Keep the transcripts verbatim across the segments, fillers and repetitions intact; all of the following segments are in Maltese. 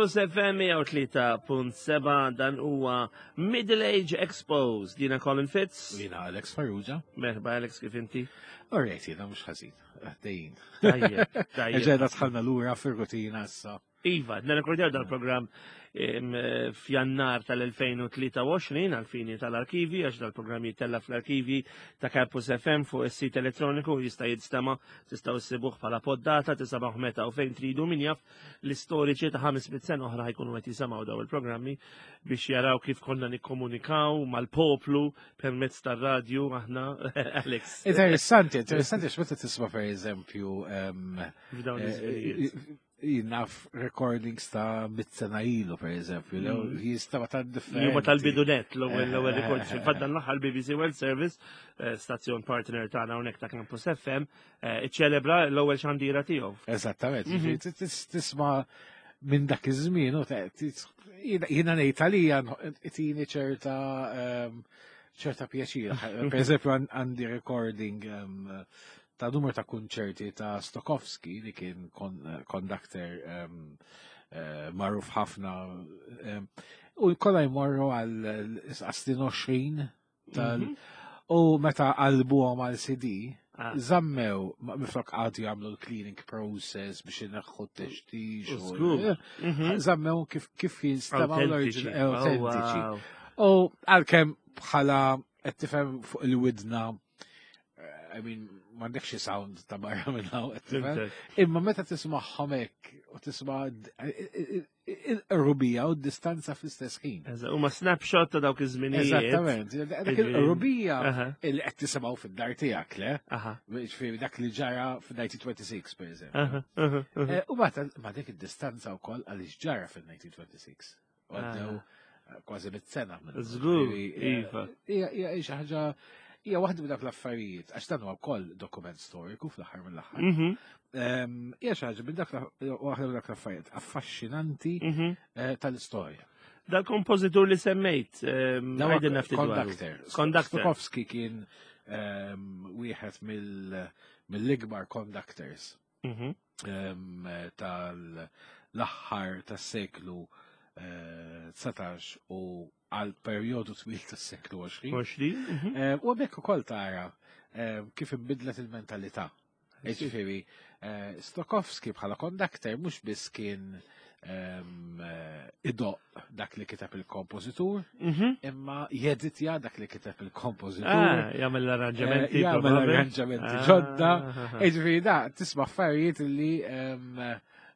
Campus F M mija u tlieta punt seba', dan huwa Middle Age Exposed. Jiena Colin Fitz. Jiena Alex Farrugia. Merħba Alex, kif inti? Alright, jiena mhux ħażin. Għaddejjin. Tajjeb, tajjeb. Ġedda dħalna lura fir-rutina issa. Iva, nirrekordjaw dal-programm em, f'Jannar tal-elfejn u tlieta u għoxrin għal-fini tal-arkivi, għax dal-programm jittella fl-arkivi ta' Campus F M fuq is-sit elettroniku, jista' jinstema', tistgħu issibuh bħala poddata, tisimgħuh meta u fejn tridu. Min jaf, l-istoriċi ta' ħames mitt sena oħra ħa jkunu qed jisimgħu daw il-programmi biex jaraw kif konna nikkomunikaw mal-poplu permezz tar-radju aħna, Alex. Interessanti, interessanti x'meta tisma', per eżempju, em, F'dawn eh, iż-żminijiet. Naf recordings ta' mitt sena ilu, per eżempju, Mm. jistaba ta' Li differenti. huma tal-bidunet, l-ewwel l-ewwel Eh, record. eh, Fil-fatt dan l-aħħar B B C World Service, eh, stazzjon partner tagħna hawnhekk ta' Campus F M, eh, iċċelebra l-ewwel xandira tiegħu. Eżattament, Mhm. ġifieri tis- tisma' minn dak iż-żmien u te- tis- jiena jiena ngħid għalija itini ċerta em, ċerta pjaċir. Per eżempju, għan- għandi recording em, ta' numru ta' kunċerti ta' Stokowski, li kien conductor em, eh, magħruf ħafna em, u kollha jmorru għal snin għoxrin tal Mhm. u meta qalbuhom għal C D Ah. zammew ma- miflok għadu jagħmlu l-cleaning process biex ineħħu t-textix. U u- żgur. Mhm. Zammew kif kif jinstemaw Autentiċi. l-oriġin autentiċi. Oh, wow. U għalkemm bħala qed tifhem fuq il-widna, eh, I mean, m'għandekx xi sound ta' barra minn hawn, qed tifhem. Fhimtek. Imma meta tismagħhom hekk u tisma' il-qrubija u d-distanza fl-istess ħin. Eżatt, huma snapshot ta' dawk iż-żminijiet. Eżattament. Dak Ġifieri- il-qrubija Aha, li qed tisimgħu fid-dar tiegħek, le? aha, Ġifieri dak li ġara fil-elf disa' mija u sitta u għoxrin, per eżempju. aha, aha, aha. Eh, U mbagħad ma dik id-distanza wkoll għaliex ġara fil-elf disa' mija u sitta u għoxrin. U għaddew Ah. eh, kważi mitt sena. minn- Żgur, Ġifieri, eh, iva. Hija hija xi ħaġa, hija waħda minn dak l-affarijiet, għax dan huwa wkoll dokument storiku fl-aħħar mill-aħħar. Mhm, Ehm, Hija xi ħaġa minn dak l- waħda minn dak l-affarijiet affaxxinanti mhm. eh, tal-istorja. Dal-kompożitur li semmejt, ehm, Dawa għidilna ftit dwaru. Conductor. Conductor. Stokowski kien ehm, wieħed mill- mill-ikbar conductors Mhm, ehm, tal-aħħar tas-seklu eh, dsatax u għal perjodu twil tas-seklu għoxrin. għoxrin, mhm. Eh, U hemmhekk ukoll tara eh, kif inbidlet il-mentalità. Ġifieri, eh, Stokowski bħala conductor mhux biss kien ehm, eh, idoqq dak li kiteb il-kompożitur, Mhm. imma jeditja dak li kiteb il-kompożitur. Ah, jagħmel l-arranġamenti. Eh, jagħmel probabbli. arranġamenti Ah, ġodda. ah, ah. Ġifieri da, tisma' affarijiet li ehm,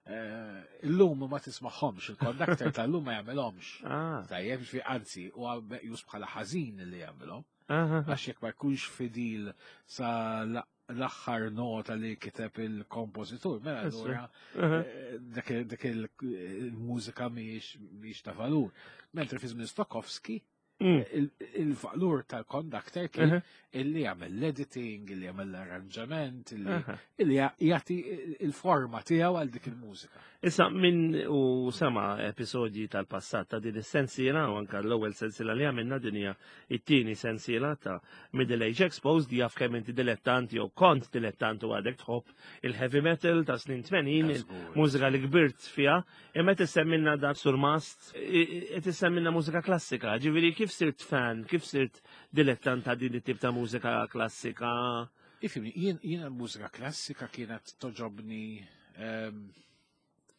eh, illum ma tismagħhomx, il-conductor tal-lum ma jagħmelhomx. Ah, Tajjeb, ġifieri anzi, huwa meqjus bħala ħażin li jagħmelhom. ah, ah. Għax jekk ma jkunx fidil sa la- l-aħħar nota li kiteb il-kompożitur, mela Essu. allura Ah, eh, dak dak il-mużika mhijiex mhijiex ta' valur. Mentri fi żmien Stokowski, Mm. il- il-valur tal-conductor kien Aha, illi jagħmel l-editing, illi jagħmel l-arranġament, illi aha. illi jagħti il-forma tiegħu għal dik il-mużika. Issa, min u sema episodji tal-passat ta' din is-sensiela u anka l-ewwel sensiela li għamilna, din hija it-tieni sensiela ta' Middle Age Exposed, jaf kemm inti dilettant jew kont dilettant u għadek tħobb il-heavy metal ta' snin tmenin, il-mużika li kbirt fiha, imma tissemmilna dak surmast, tissemmilna mużika klassika. Ġifieri kif sirt fan, kif sirt dilettant ta' din it-tip ta' mużika klassika? Ifhimni, jien jien l-mużika klassika kienet togħġobni, ehm,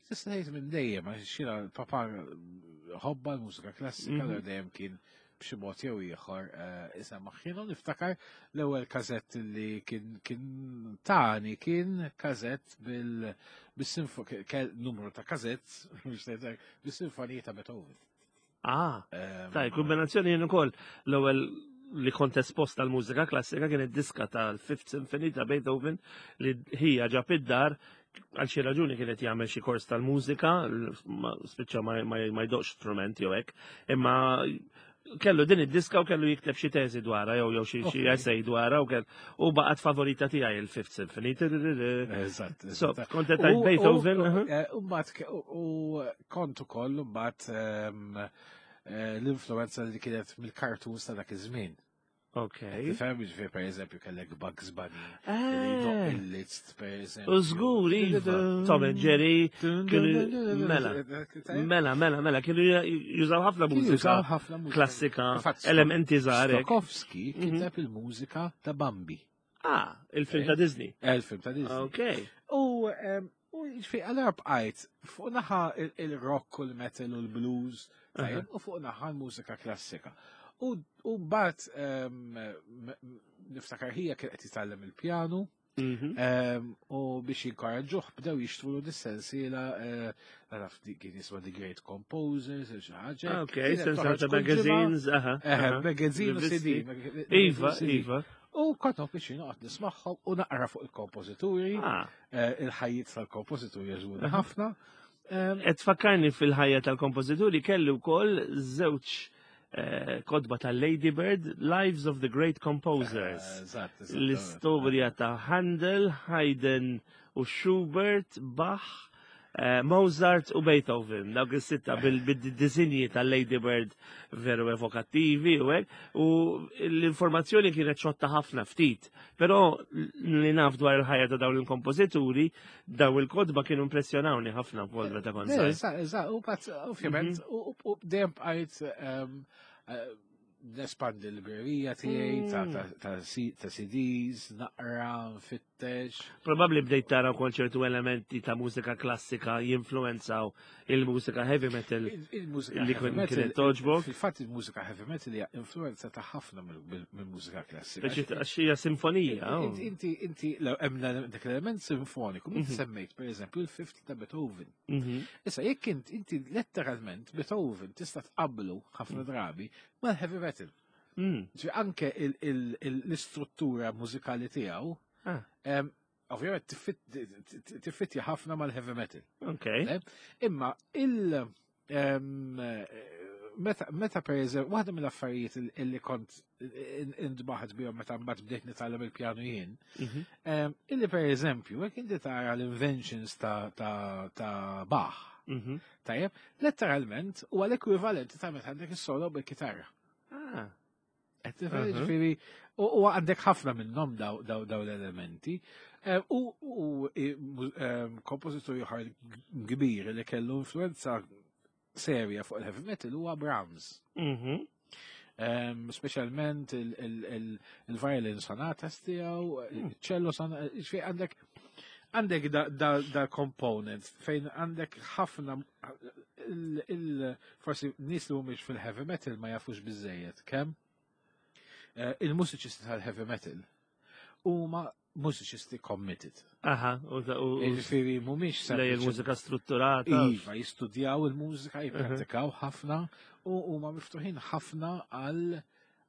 tista' tgħid minn dejjem, għax jiena papa ħobba l-mużika klassika, Mhm. mm dejjem kien b'xi mod jew ieħor eh, isema' ħinu. Niftakar l-ewwel kazett li kien kien tani kien kazett bil bis-sinfo kell numru ta' kazett biex ngħidlek, bis-sinfonija ta' Beethoven. Ah, Ehm, taj, kombinazzjoni. Jien ukoll l-ewwel li kont espost tal-mużika klassika kien id-diska tal-Fifth Symphony ta' Beethoven li hija ġab id-dar. Għal xi raġuni kienet jagħmel xi kors tal-mużika, ma- spiċċa ma, ma, ma jdoqx strument jew hekk, imma kellu din id-diska u kellu jikteb xi teżi dwarha jew jew xi xi Ok. essay dwarha u kell u baqgħet favorita tiegħi il-Fifth Symphony. Eżatt. So, eżatt. kont qed tgħid U- Beethoven, u- aha. eh, U mbagħad ke- u u kont ukoll mbagħad ehm, eh, l-influenza li kienet mill-cartoons ta' dak iż-żmien. Ok. Tifhem, ġifieri per eżempju kellek Bugs Bunny, Eh. il-Liszt per eżempju. U żgur, iva. Tom and Jerry, kienu- mela. Mela, mela, mela, kienu jużaw ħafna mużika Jużaw ħafna mużika. klassika, Infatti, elementi żgħar. hekk. Stokowski Mhm. kiteb il-mużika ta' Bambi, Ah, il-film ta' Disney. Eh, il-film ta' Disney. Ok. U em, u ġifieri allura bqajt fuq naħa il- il-rock u l-metal u l-blues, tajjeb, u fuq naħa l-mużika klassika. U u mbagħad em, m- m- niftakar ħija kien qed jitgħallem il-pjanu, Mhm. em, u biex jinkoraġġuh bdew jixtru dis-sensiela eh, naf di- kien jisma' The Great Composers, xi ħaġa. Ah, Ok, Kienet sensiela toħroġ ta' kull ġimgħa. magazines, aha. Eh, aha. magazine u Rivisti. C D. mag- Iva, magazine u C D. iva. U kont biex noqgħod nismagħhom u naqra fuq il-kompożituri, Ah, eh, il-ħajjiet tal-kompożituri jogħġbuni ħafna. Em, Et fakkarni fil-ħajja tal-kompożituri kelli wkoll żewġ eh, kotba tal-Lady Bird, Lives of the Great Composers. eh, Eżatt, eżatt. L-istorja ta' Handel, Haydn u Schubert, Bach, eh, Mozart u Beethoven. Dawk is-sitta bil-disinji tal-Lady Bird veru evokattivi u hekk. U l-informazzjoni kienet xotta ħafna ftit, però li naf dwar il-ħajja ta' dawn il-kompożituri, daw il-kotba kienu impressjonawni ħafna wkoll meta kont Le, żgħir. Eżatt, eżatt, u bat, ovvjament, Mhm. u u dejjem bqajt em, eh, nespandi l-librerija tiegħi ta' Mm. ta' ta' C- ta' C Ds, naqra, nfittex. Probabbli bdejt tara wkoll ċertu elementi ta' mużika klassika jinfluenzaw il-mużika heavy metal Il- Il-mużika li heavy kien- metal, kienet togħġbok. Fil-fatt il-mużika heavy metal hija influenza ta' ħafna mill- mill-mużika klassika. Speċi għax hija sinfonija. oh. Inti, inti, inti, law hemm dak l-element sinfoniku, inti Mhm. semmejt per eżempju il-Fifth ta' Beethoven. Mhm. Issa, jekk int, inti letteralment Beethoven tista' tqablu ħafna drabi mal-heavy metal. Mm. Ġifieri anke il- il- il- l-istruttura mużikali tiegħu, Ah. em, ovvjament tiffit- tiffittja ħafna mal-heavy metal. Ok. Eh? Imma il em, meta meta per eżempju, waħda mill-affarijiet il- illi kont intbaħt bihom meta mbagħad bdejt nitgħallem il-pjanu jien, Mhm. em, illi per eżempju, jekk inti tara l-inventions ta' ta' ta' Bach, Mhm. tajjeb, letteralment huwa l-ekwivalenti ta' meta għandek is-solo bil-kitarra. Ah. Qed tifhem? Mhm. Ġifieri, u u għandek ħafna minnhom daw daw daw l-elementi. Eh, U u i- mu- em, kompożitur ieħor kbir li kellu influenza serja fuq il-heavy metal huwa Brahms. Mhm. Em, Speċjalment il- il- il- il-violin sonatas tiegħu, il-cello sonata, ġifieri għandek għandek da, da, da component fejn għandek ħafna il, il, forsi nies li mhumiex fil-heavy metal ma jafux biżejjed kemm eh, il-mużiċisti tal-heavy metal huma mużiċisti committed. Aha, u ta- u u Ġifieri mhumiex lej sempliċi- il-mużika strutturata. Iva, jistudjaw il-mużika, jippratikaw ħafna u huma miftuħin ħafna għal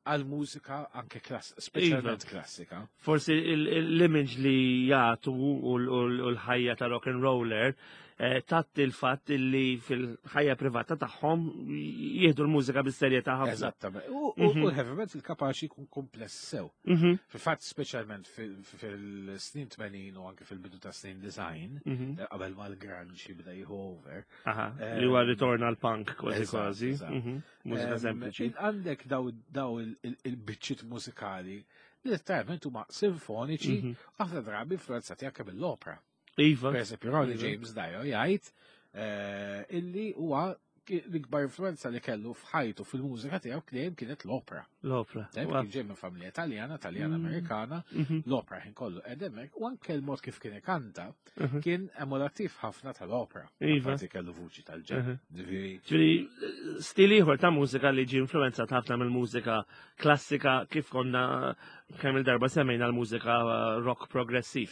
għal mużika anke klass, speċjalment klassika. Forsi il- il- l-image li jagħtu u l- u l- u l-ħajja ta' rock and roller eh, tatti il-fatt li fil-ħajja privata tagħhom jieħdu l-mużika bis-serjetà ħafna. Eżattament. U u- Mhm. u l-heavy metal kapaċi jkun kompless sew. Mhm, Fil-fatt speċjalment fil- fil-snin tmenin u anke fil-bidu ta' snin disgħin, mhm. qabel ma l-grunge jibda jieħu over. Aha, li huwa ritorn għal punk kważi Eżatt, kważi. eżatt. Mhm, Mużika Em, sempliċi. in- Għandek daw daw il- il- il-biċċiet mużikali li letteralment huma sinfoniċi, Mhm. ħafna drabi influenzati anke mill-opera. Iva. Per eżempju, Ronnie Iva. James Dio jgħid eh, illi huwa ki- l-ikbar influenza li kellu f'ħajtu fil-mużika tiegħu dejjem kienet l-opera. L-opera. Tajb, Wa- kien ġej minn familja Taljana, Taljana Mm. Amerikana, Mhm, l-opera ħin kollu edemek, u anke l-mod kif kien ikanta mhm. kien emulattiv ħafna tal-opera. Iva. Apparti kellu vuċi tal-ġenn. Mhm. Ġifieri, Ġifieri, stil ieħor ta' mużika li ġi influenzat ħafna mill-mużika klassika, kif konna kemm il-darba semmejna l-mużika eh, rock progressiv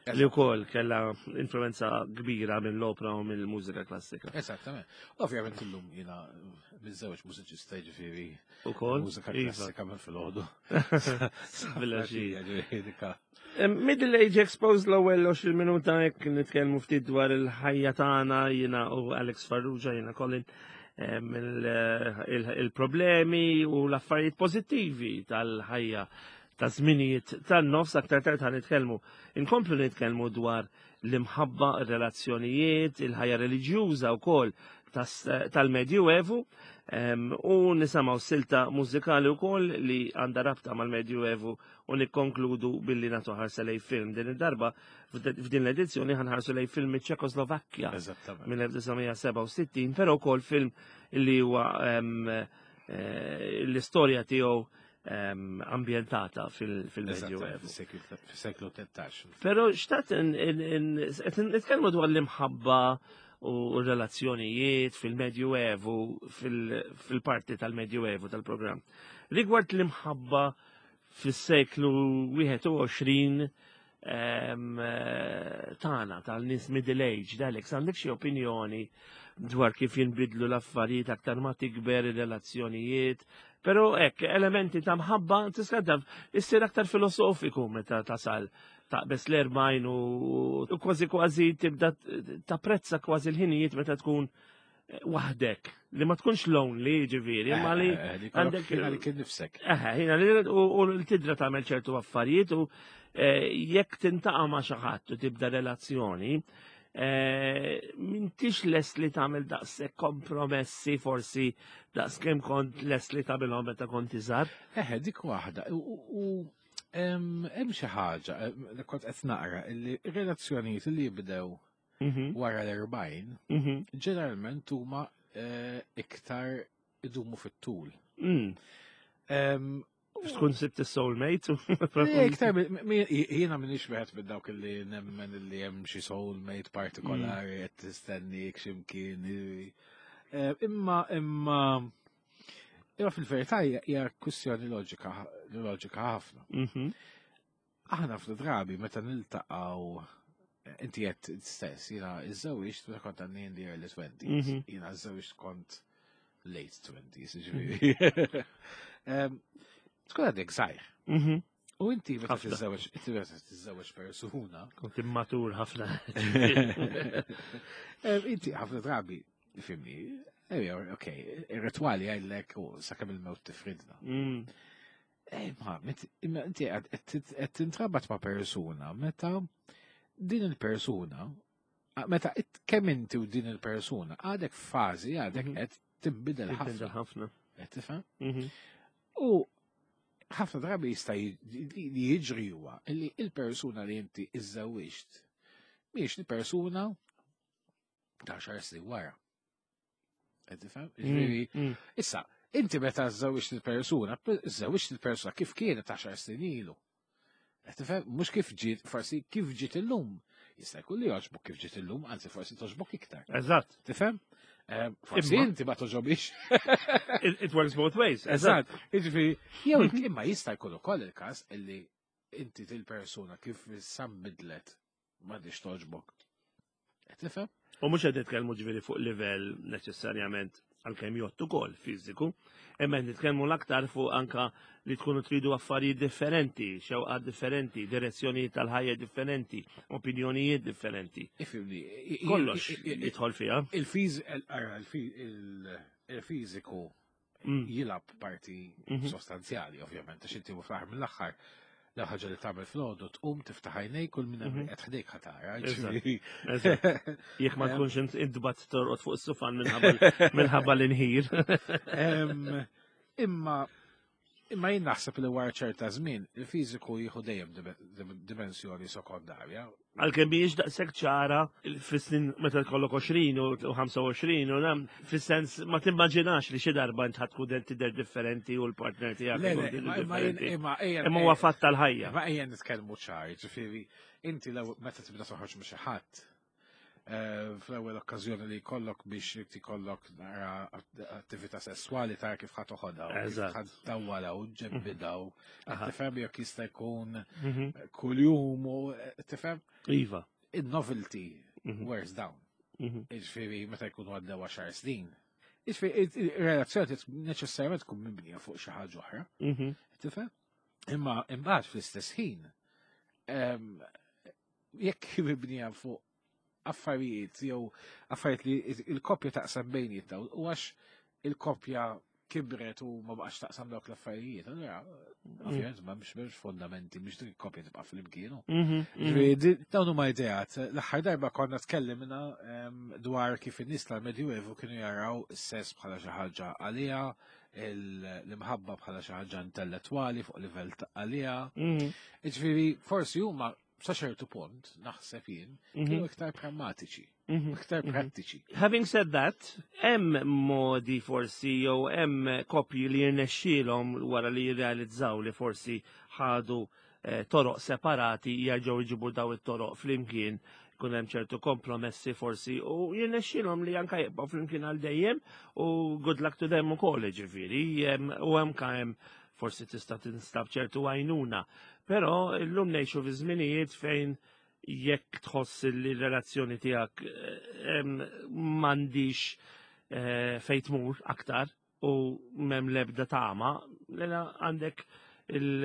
li wkoll kellha influenza kbira mill-opera u mill-mużika klassika. Eżattament. Ovvjament illum jiena miżżewweġ mużiċista, ġifieri Ukoll. mużika Iva. klassika minn filgħodu. Filgħaxija. Ġifieri dika. Middle Age Exposed, l-ewwel għoxrin minuta hekk nitkellmu ftit dwar il-ħajja tagħna, jiena u Alex Farrugia, jiena Colin, em, il- il- il-problemi u l-affarijiet pożittivi tal-ħajja Ta' żminijiet tan-nofs. Aktar tard ħa nitkellmu, inkomplu nitkellmu dwar l-imħabba, ir-relazzjonijiet, il-ħajja reliġjuża wkoll tal-Medjuevu u nisimgħu silta mużikali wkoll li għandha rabta mal-Medjuevu u nikkonkludu billi nagħtu ħarsa lejn film. Din id-darba, f'din l-edizzjoni, ħa nħarsu lejn film ċekoslovakkja mill-elf disa' mija sebgħa u sittin, però wkoll film li huwa eh, l-istorja tiegħu ambjentata fil-Medjuevu. Fil-seklu tlettax. Però xtaqt nitkellmu dwar l-imħabba u relazzjonijiet fil-Medjuevu, fil-parti tal-Medjuevu tal-programm. Rigward l-imħabba fil-seklu wieħed u għoxrin tagħna, tal-nies middle age, Alex, għandek xi opinjoni dwar kif jinbidlu l-affarijiet aktar ma tikber, ir-relazzjonijiet, però hekk elementi ta' mħabba tista' taf issir aktar filosofiku meta tasal taqbes l-erbgħin u kważi kważi tibda tapprezza kważi l-ħinijiet meta tkun waħdek, li ma tkunx lonely ġifieri, ma li eh, eh, għandek li kien nifsek. Eħe, ħina li u l-tidra tagħmel ċertu affarijiet u eh, jekk tiltaqa' ma' xi ħadd u tibda relazzjoni, m'intix lest li tagħmel daqshekk kompromessi forsi daqs kemm kont lest li tagħmilhom meta kont iżgħar. Eħe, dik waħda. U hemm xi ħaġa li kont qed naqra li relazzjonijiet li jibdew mhm. wara l-erbgħin mhm. ġeneralment huma eh, iktar idumu fit-tul. Mm. Tkun sibt il-soulmate? Iktar, jiena m'iniex wieħed minn dawk li nemmen li hemm xi soulmate partikolari qed tistennik x'imkien. Eh, imma imma imma fil-verità hija kwistjoni loġika loġika ħafna. Mhm. Aħna fl-drabi meta niltaqgħu, inti qed stess, jiena iżżewwiġt meta kont għandi in the early twenties. Mhm. Jiena żżewwiġt kont late twenties, ġifieri. Em, Tkun għadek żgħir. Mhm. U inti meta Ħafna. tiżżewweġ, inti meta tiżżewweġ persuna, Kont immatur ħafna. em, inti ħafna drabi, fhimni, ejja, ok, ir-ritwali jgħidlek u sakemm il-mewt tifridna. Mm. Eh, ma, met- imma inti qed qed tintrabat ma' persuna meta din il-persuna, meta it- kemm inti u din il-persuna għadek fażi, għadek Mhm. qed tinbidel Tinbidel ħafna. ħafna. Qed tifhem? Mhm. U ħafna drabi jista' li jiġri huwa li il-persuna li inti iżżewwiġt mhijiex il-persuna ta' xar snin wara. Qed tifhem? Ġifieri, Mm. issa, inti meta żżewwiġt il-persuna, żżewwiġt il-persuna kif kienet għaxar snin ilu. Qed tifhem? Mhux kif ġiet, forsi kif ġiet illum. Jista' jkun li jogħġbok kif ġiet illum, anzi forsi togħġbok iktar. Eżatt. Tifhem? Eh, Forsi Imma- inti ma togħġobix. It it works both ways. Eżatt. Jiġifieri, jew imma jista' jkun ukoll il-każ illi inti til-persuna kif issa nbidlet m'għadix togħġbok. Qed tifhem? U mhux qed nitkellmu ġifieri fuq livell neċessarjament, għalkemm jgħottu ukoll fiżiku, imma qed nitkellmu l-aktar fuq anka li tkunu tridu affarijiet differenti, xewqat differenti, direzzjonijiet tal-ħajja differenti, opinjonijiet differenti. Ifhimni. Kollox jidħol fiha. Il-fiż, il-fiżiku Mm. jilgħab parti Mhm. sostanzjali, ovvjament, għax inti fl-aħħar mill-aħħar l ħaġa li tagħmel filgħodu tqum, tiftaħ għajnejk, kull minn Mhm. qed ħdejk ħa tara. Eżatt. Ġifieri. Eżatt. Jekk ma tkunx int intbat torqod fuq is-sufan minħabba minħabba l-inħir. Em, Imma imma jien naħseb li wara ċerta żmien il-fiżiku jieħu dejjem dim- dimensjoni sekondarja. Għalkemm mhijiex daqshekk ċara fis-snin meta tkollok għoxrin u ħamsa u għoxrin u nam, fis-sens ma timmaġinax li xi darba int ħa tkun tidher differenti u l-partner tiegħek Le, ikun le, tidher imma- imma jien- differenti. imma ejja- Imma huwa fatt tal-ħajja. Ma ejja nitkellmu ċar, ġifieri inti lew meta tibda toħroġ ma' xi ħadd, eh, fl-ewwel okkażjoni li jkollok biex tikollok nara attività sesswali, tara kif ħa toħodha u kif Eżatt. ħa tawwala u ġebbida u Aha. tifhem jekk jista' jkun Mhm. kuljum u tifhem Iva. il-novelty Mhm. wears down. Mhm. Ġifieri meta jkunu għaddew għaxar snin. Ġifieri il-relazzjoni neċessarjament tkun mibnija fuq xi ħaġa oħra. Mhm. Tifhem? Imma imbagħad fl-istess ħin, em, jekk mibnija fuq affarijiet jew affarijiet li il-koppja taqsam bejnietha u għax il-koppja kibret u ma baqax taqsam dawk l-affarijiet, allura ovvjament ma mhux mhux fondamenti biex dik il-koppja tibqa' flimkien. Mhm, mhm. Ġifieri, di- Dawn huma ideat. L-aħħar darba konna tkellimna em, dwar kif in-nies tal-Medjuevu kienu jaraw is-sess bħala xi ħaġa għalija, il- l-imħabba bħala xi ħaġa intellettwali fuq livell ta' għalija. Mhm, Ġifieri, forsi huma sa ċertu punt, naħseb jien, mhm, kienu iktar prammatiċi, mhm. iktar mhm. prattiċi. Having said that, hemm modi forsi jew hemm koppji li jirnexxielhom wara li jirrealizzaw li forsi ħadu eh, toroq separati jerġgħu jġibu daw it-toroq flimkien kun hemm ċertu kompromessi forsi u jirnexxielhom li anka jibqgħu flimkien għal dejjem u good luck to them ukoll ġifieri hemm- u hemm ka hemm forsi tista' tinstab ċertu għajnuna. Però llum ngħixu fi żminijiet fejn jekk tħoss li r-relazzjoni tiegħek eh, em, m'għandix eh, fejn tmur aktar u m'hemm lebda tama, lena għandek il-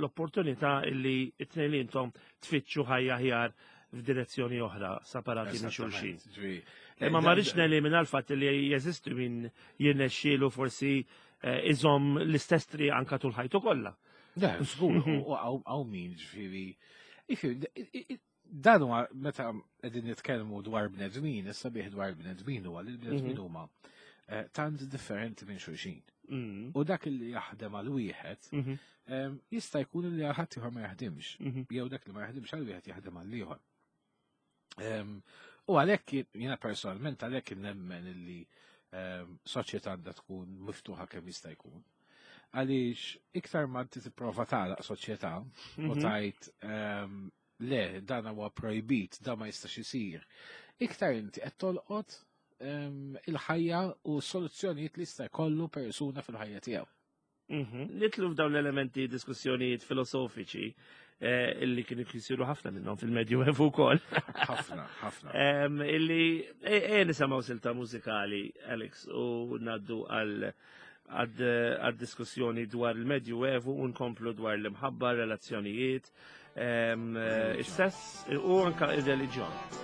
l-opportunità illi it-tnejn li intom tfittxu ħajja ħjar f'direzzjoni oħra, separati minn xulxin. Esattament, ġifieri, Imma eh, ma dan- rridx nelimina l-fatt li jeżistu min jirnexxielu forsi eh, iżomm l-istess triq anka tul ħajtu kollha. Le, żgur, u hawn hawn min ġifieri. Ġifieri, i- i- Dan huwa meta qegħdin nitkellmu dwar bnedmin, issa bih dwar bnedmin huwa li l-bnedmin huma eh, tant differenti minn xulxin. Mm. U dak li jaħdem għal wieħed Mhm, em, jista' jkun li għal ħadd ieħor ma jaħdimx. mhm, Jew dak li ma jaħdimx għal wieħed jaħdem għal ieħor. Em, U għalhekk jiena personalment għalhekk nemmen illi em, soċjetà għandha tkun miftuħa kemm jista' jkun. Għaliex iktar ma inti tipprova tagħlaq soċjetà u mhm. tajt em, le dan huwa projbit, dan ma jistax isir. Iktar inti qed tolqot em, il-ħajja u soluzzjonijiet li jista' jkollu persuna fil-ħajja tiegħu. Mhm. Nidħlu f'dawn l-elementi diskussjonijiet filosofiċi eh, illi kienu jisiru ħafna minnhom fil-Medjuevu wkoll. Ħafna, ħafna. Em, Illi e e nisimgħu silta mużikali, Alex, u ngħaddu għal għad diskussjoni dwar il-Medjuevu u nkomplu dwar l-imħabba, relazzjonijiet, em, eh, is-sess u anka ir-reliġjon.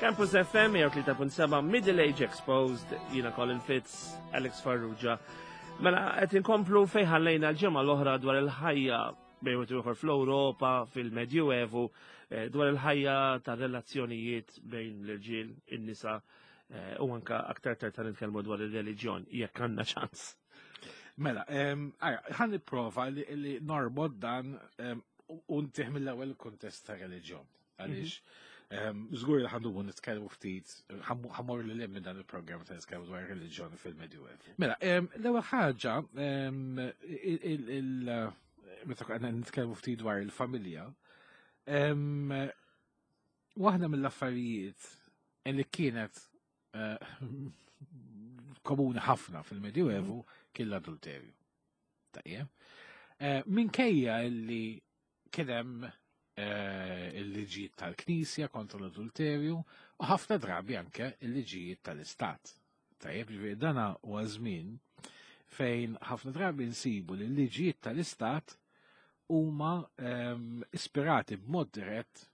Campus F M mija u tlieta punt seba' Middle Age Exposed, jiena Colin Fitz, Alex Farrugia. Mela, qed inkomplu fejn ħallejna l-ġimgħa l-oħra dwar il-ħajja bejn wieħed u ieħor fl-Ewropa, fil-Medjuevu, eh, dwar il-ħajja ta' relazzjonijiet bejn l-irġiel, in-nisa, eh, u anka aktar tard ta' nitkellmu dwar ir-reliġjon, jekk għandna ċans. Mela, em, għara, ħa nipprova li, li norbot dan em, u ntih mill-ewwel kuntest ta' reliġjon. Għaliex, em, żgur li ħa ndumu nitkellmu ftit, ħa mmur lil minn dan il-programm ta' nitkellmu dwar reliġjon fil-Medjuevu. Mela, em, l-ewwel ħaġa, em, il- il- il- meta għandna nitkellmu ftit dwar il-familja, em, waħda mill-affarijiet li kienet eh, komuni ħafna fil-Medjuevu kien l-adulterju. Tajjeb. Eh, Minkejja illi kien hemm eh, il-liġijiet tal-Knisja kontra l-adulterju u ħafna drabi anke il-liġijiet tal-Istat. Tajjeb, ġifieri dana huwa żmien fejn ħafna drabi nsibu li l-liġijiet tal-Istat huma ehm, ispirati b'mod dirett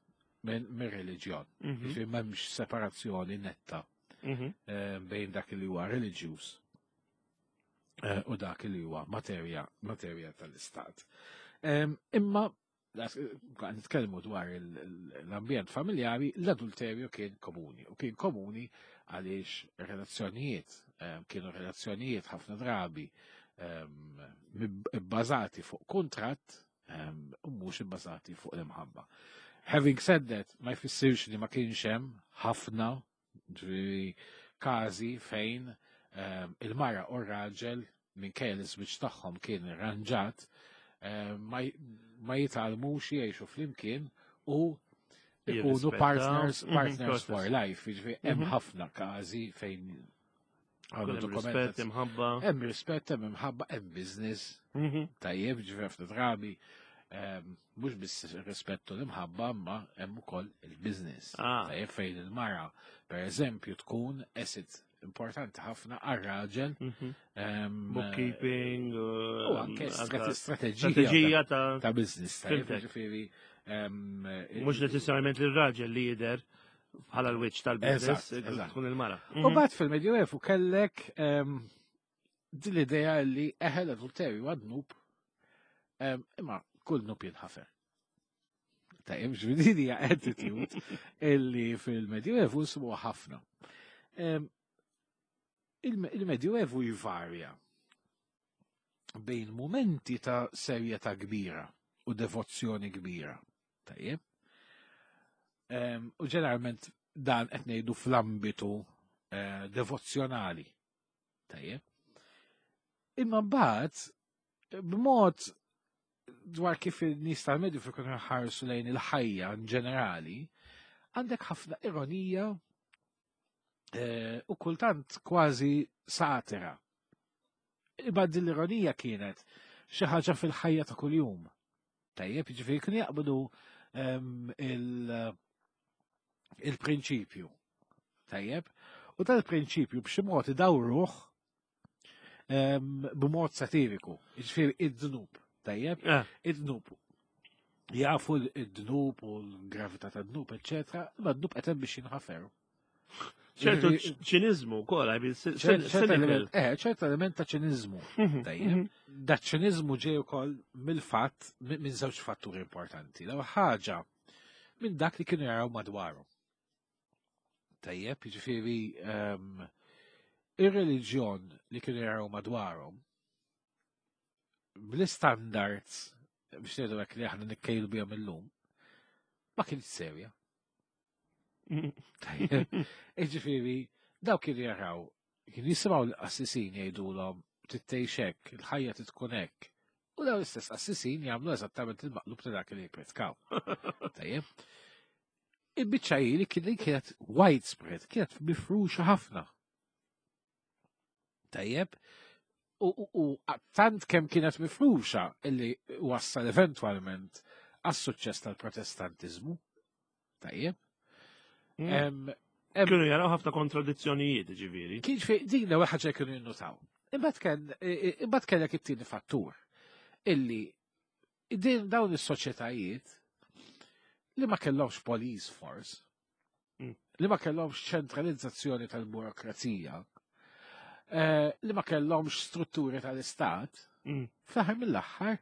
minn mir reliġjon. Mhm, Ġifieri m'hemmx separazzjoni netta mhm, eh, bejn dak li huwa reliġjuż eh, u dak li huwa materja materja tal-istat. Imma nitkellmu dwar l-ambjent familjari, l-adulterju kien komuni. U kien komuni għaliex relazzjonijiet, kienu relazzjonijiet ħafna drabi bbażati fuq kuntratt u mhux ibbażati fuq l-imħabba. Having said that, ma jfissirx li ma kienx hemm ħafna każi fejn il-mara u r-raġel minkejja li ż-żwieġ tagħhom kien irranġat ma jitgħallmux jgħixu flimkien u ikunu partners, partners for life. Jiġifieri hemm ħafna każi fejn għandu rispett, imħabba. Hemm rispett, hemm imħabba, hemm business. Tajjeb, ġifieri ħafna drabi mhux biss rispettu l-imħabba, imma hemm ukoll il-business. Tajjeb, fejn il-mara, per eżempju, tkun asset importanti ħafna għar-raġel. Bookkeeping. U anke strateġija ta' business. Ġifieri. Mhux neċessarjament l-raġel li jidher bħala l-wiċċ tal-business, tkun il-mara. U mbagħad fil-Medjuevu kellek din l-idea li eħe, l-adulterju huwa dnub, imma kull dnub jinħafer. Tajjeb, ġifieri hija attitude illi fil-Medjuevu nsibu ħafna. Il-Medjuevu jvarja bejn momenti ta' serjetà kbira u devozzjoni kbira. Tajjeb. U ġeneralment dan qed ngħidu fl-ambitu devozzjonali. Tajjeb. Imma mbagħad b'mod dwar kif in-nies tal-Medju kienu jħarsu lejn il-ħajja in ġenerali, għandek ħafna ironija u kultant kważi satira. Imma din l-ironija kienet xi ħaġa fil-ħajja ta' kuljum. Tajjeb, jiġifieri kienu jaqbdu il-prinċipju. Tajjeb, u dal-prinċipju b'xi mod idawruh b'mod satiriku. Jiġifieri id-dnub. Tajjeb, id-dnub. Jafu id-dnub u l-gravità ta' dnub, eċċetera, imma d-dnub qed hemm biex jinħaferu. ċertu ċinizmu wkoll, Eh, ċertu element ta' ċinizmu. Tajjeb. Da ċinizmu ġej ukoll mill-fatt minn żewġ fatturi importanti. L-ewwel ħaġa minn dak li kienu jaraw madwaru. Tajjeb, jiġifieri ir-reliġjon li kienu jaraw madwarhom bl-standards biex ngħidu hekk li aħna nikkejlu bihom illum ma kienx serja. Tajjeb, jiġifieri daw kienu jaraw, kienu jisimgħu l-qassisin jgħidulhom trid tgħix hekk, il-ħajja trid tkun hekk. U daw l-istess qassisin jagħmlu eżattament il-maqlub ta' dak li jippritkaw. Tajjeb. Il-biċċa hi li kienet widespread, kienet mifruxa ħafna. Tajjeb. U, u, u tant kemm kienet mifruxa illi wassal eventwalment għas-suċċess tal-Protestantizmu. Tajjeb. Mm. Kienu jaraw ħafna kontradizzjonijiet, ġifieri. Kien fi din l-ewwel ħaġa kienu jinnotaw. Imbagħad kien imbagħad kellek it-tieni fattur illi din dawn is-soċjetajiet li ma kellhomx police force, Mm. li ma kellhomx ċentralizzazzjoni tal-burokrazija, eh, li ma kellhomx strutturi tal-istat, Mm. fl-aħħar mill-aħħar,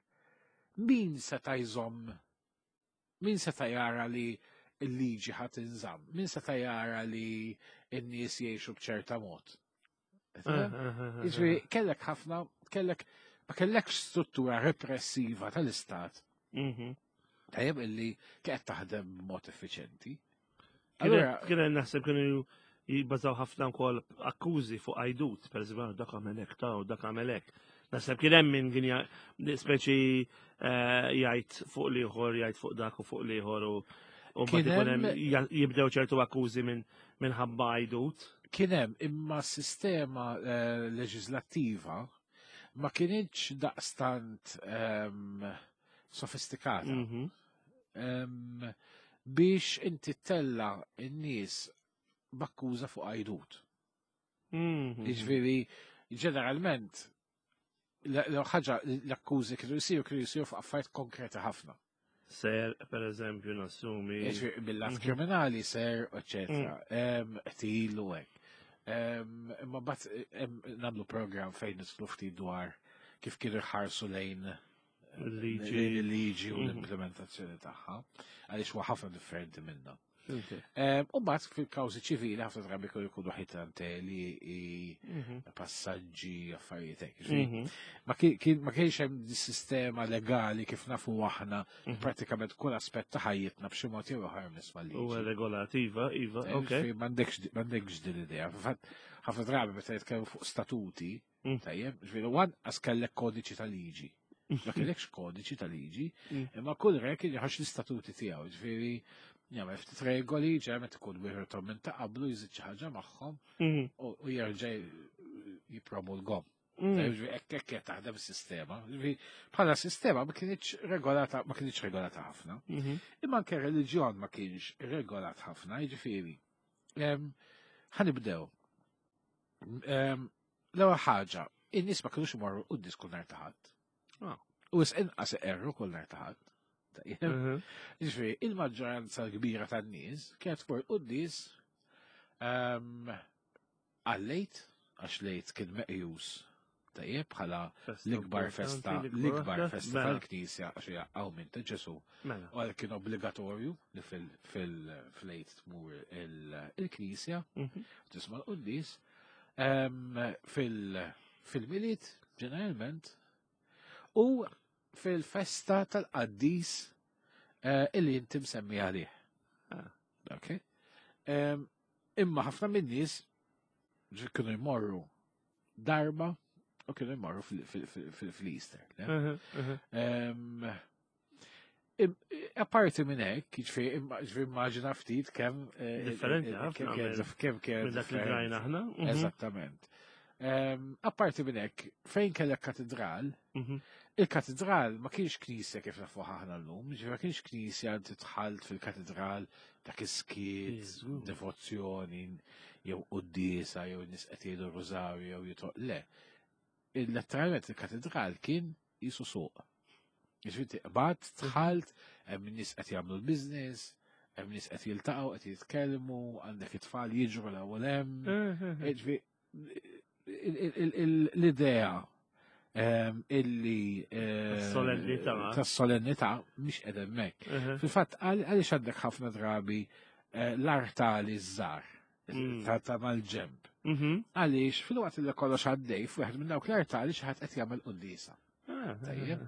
min seta' jżomm, min seta' jara li l-liġi ħa tinżamm, min seta' jara li n-nies jgħixu b'ċerta mod. Jiġifieri kellek ħafna, kellek ma kellekx struttura repressiva tal-istat, Mhm. tajjeb, illi kienet taħdem b'mod effiċenti. Allura, Kien naħseb kienu jibbażaw ħafna wkoll akkużi fuq għajdut, per eżempju, dak għamel hekk ta' u dak għamel hekk. Naħseb kien hemm min kien ja- speċi eh, jgħid fuq l-ieħor, jgħid fuq dak u fuq l-ieħor u u Kien mbagħad ikun hemm- hemm ja- jibdew ċertu akkużi minn minħabba għajdut. Kien hemm, imma s-sistema eh, leġislattiva ma kienx daqstant ehm, sofistikata Mhm. Ehm, biex inti tella n-nies b'akkuża fuq għajdut. Mhm. Jiġifieri, ġeneralment, l-ħaġa l-akkużi kienu jisiru kienu jisiru fuq affarijiet konkreti ħafna. Ser, per eżempju, nassumi. Jiġifieri, bil-lat Mhm. kriminali, ser, eccetera. Em, Qtil u hekk. Em, Imma bat em, nagħmlu program fejn nidħlu ftit dwar kif kienu jħarsu lejn Il-liġi. Il-liġi u Mhm. l-implementazzjoni tagħha, għaliex huwa ħafna differenti minna. Fhimtek. Em, U mbagħad fil-kawżi ċivili ħafna drabi kienu jkunu ħitanteli, Mhm. passaġġi, affarijiet hekk. Ġifieri, Mhm. Ma kien- kien- ma kienx hemm sistema legali kif nafu aħna Mhm. pratikament kull aspett ta' ħajjitna b'xi mod jew ieħor nisma' U liġi. regolativa, iva, Eh, ok. Ġifieri M'għandekx m'għandekx din l-idea. Fil-fatt ħafna drabi meta jitkellmu fuq statuti, Mm. tajjeb, ġifieri lanqas kellek kodiċi ta' liġi. Ma kellekx kodiċi ta' liġi, Mm. imma kull re kien joħroġ l-istatuti tiegħu, ġifieri jagħmel ftit regoli, ġeneralment ikun wieħed minn ta' qablu jżid xi ħaġa magħhom Mhm. u u jerġa' jippromulgahom. Mm. Ġifieri hekk hekk qed taħdem is-sistema. Ġifieri bħala sistema ma kienx regolata ma kienx regolata ħafna. Mhm. Imma anke reliġjon ma kienx regolat ħafna, jiġifieri. Em, Ħa nibdew. Em, L-ewwel ħaġa, in-nies ma kinux imorru quddies kull nhar ta' Ħadd. Ah. U wisq inqas iqerru kull nhar ta' Ħadd. Tajjeb. Mhm. Ġifieri, il-maġġoranza kbira tan-nies kienet tmur quddies em, għal-Għid, għax l-Għid kien meqjus tajjeb bħala Festa l-ikbar importanti, festa, l-ikbar l-ikbar waħda. festa Mela, tal-Knisja għax hija qawmien ta' Ġesu. Mela. U għal kien obbligatorju li fil-Għid tmur il- il-Knisja, Mhm. tisma' l-quddies. Em, fil- Fil-Milied, ġeneralment, u fil-festa tal-qaddis eh, illi inti msemmi għalih. Ah. Ok? Em, Imma ħafna min-nies ġi kienu jmorru darba u kienu jmorru fil-Easter. le? Mhm, mhm. Em, im- Apparti minn hekk, jiġifieri imma- ġifieri immaġina ftit kemm eh, Differenti eh, ħafna kemm kien- minn- kemm kien Minn dak li differenti. drajna aħna. Mhm. Eżattament. Em, Apparti minn hekk, fejn kellek katedral, Mhm. il-katedral ma kienx knisja kif nafu aħna llum, ġifieri ma kienx knisja inti dħalt fil-katedral dak is-skiet, Iżgur. devozzjoni, jew quddiesa, jew nies qed jgħidu rożarju, jew jito. Le. Il-letteralment il-katedral kien qisu suq. Ġifieri qbad, dħalt, hemm nies qed jagħmlu l-business, hemm nies qed jiltaqgħu, qed jitkellmu, għandek it-tfal jiġru l-ewwel hemm. Mhm. Ġifieri, il- il- il- l-idea ehm, illi eh, Tas-solennità. tas-solennità mhix qed hemmhekk. Mhm. Fil-fatt għaliex għandek ħafna drabi eh, l-artali żgħar Mm. ta' ta' mal-ġemb. Mhm. Għaliex fil-waqt li kollox għaddej f'wieħed minn dawk l-artali xi ħadd qed jagħmel quddiesa. Ah, Tajjeb.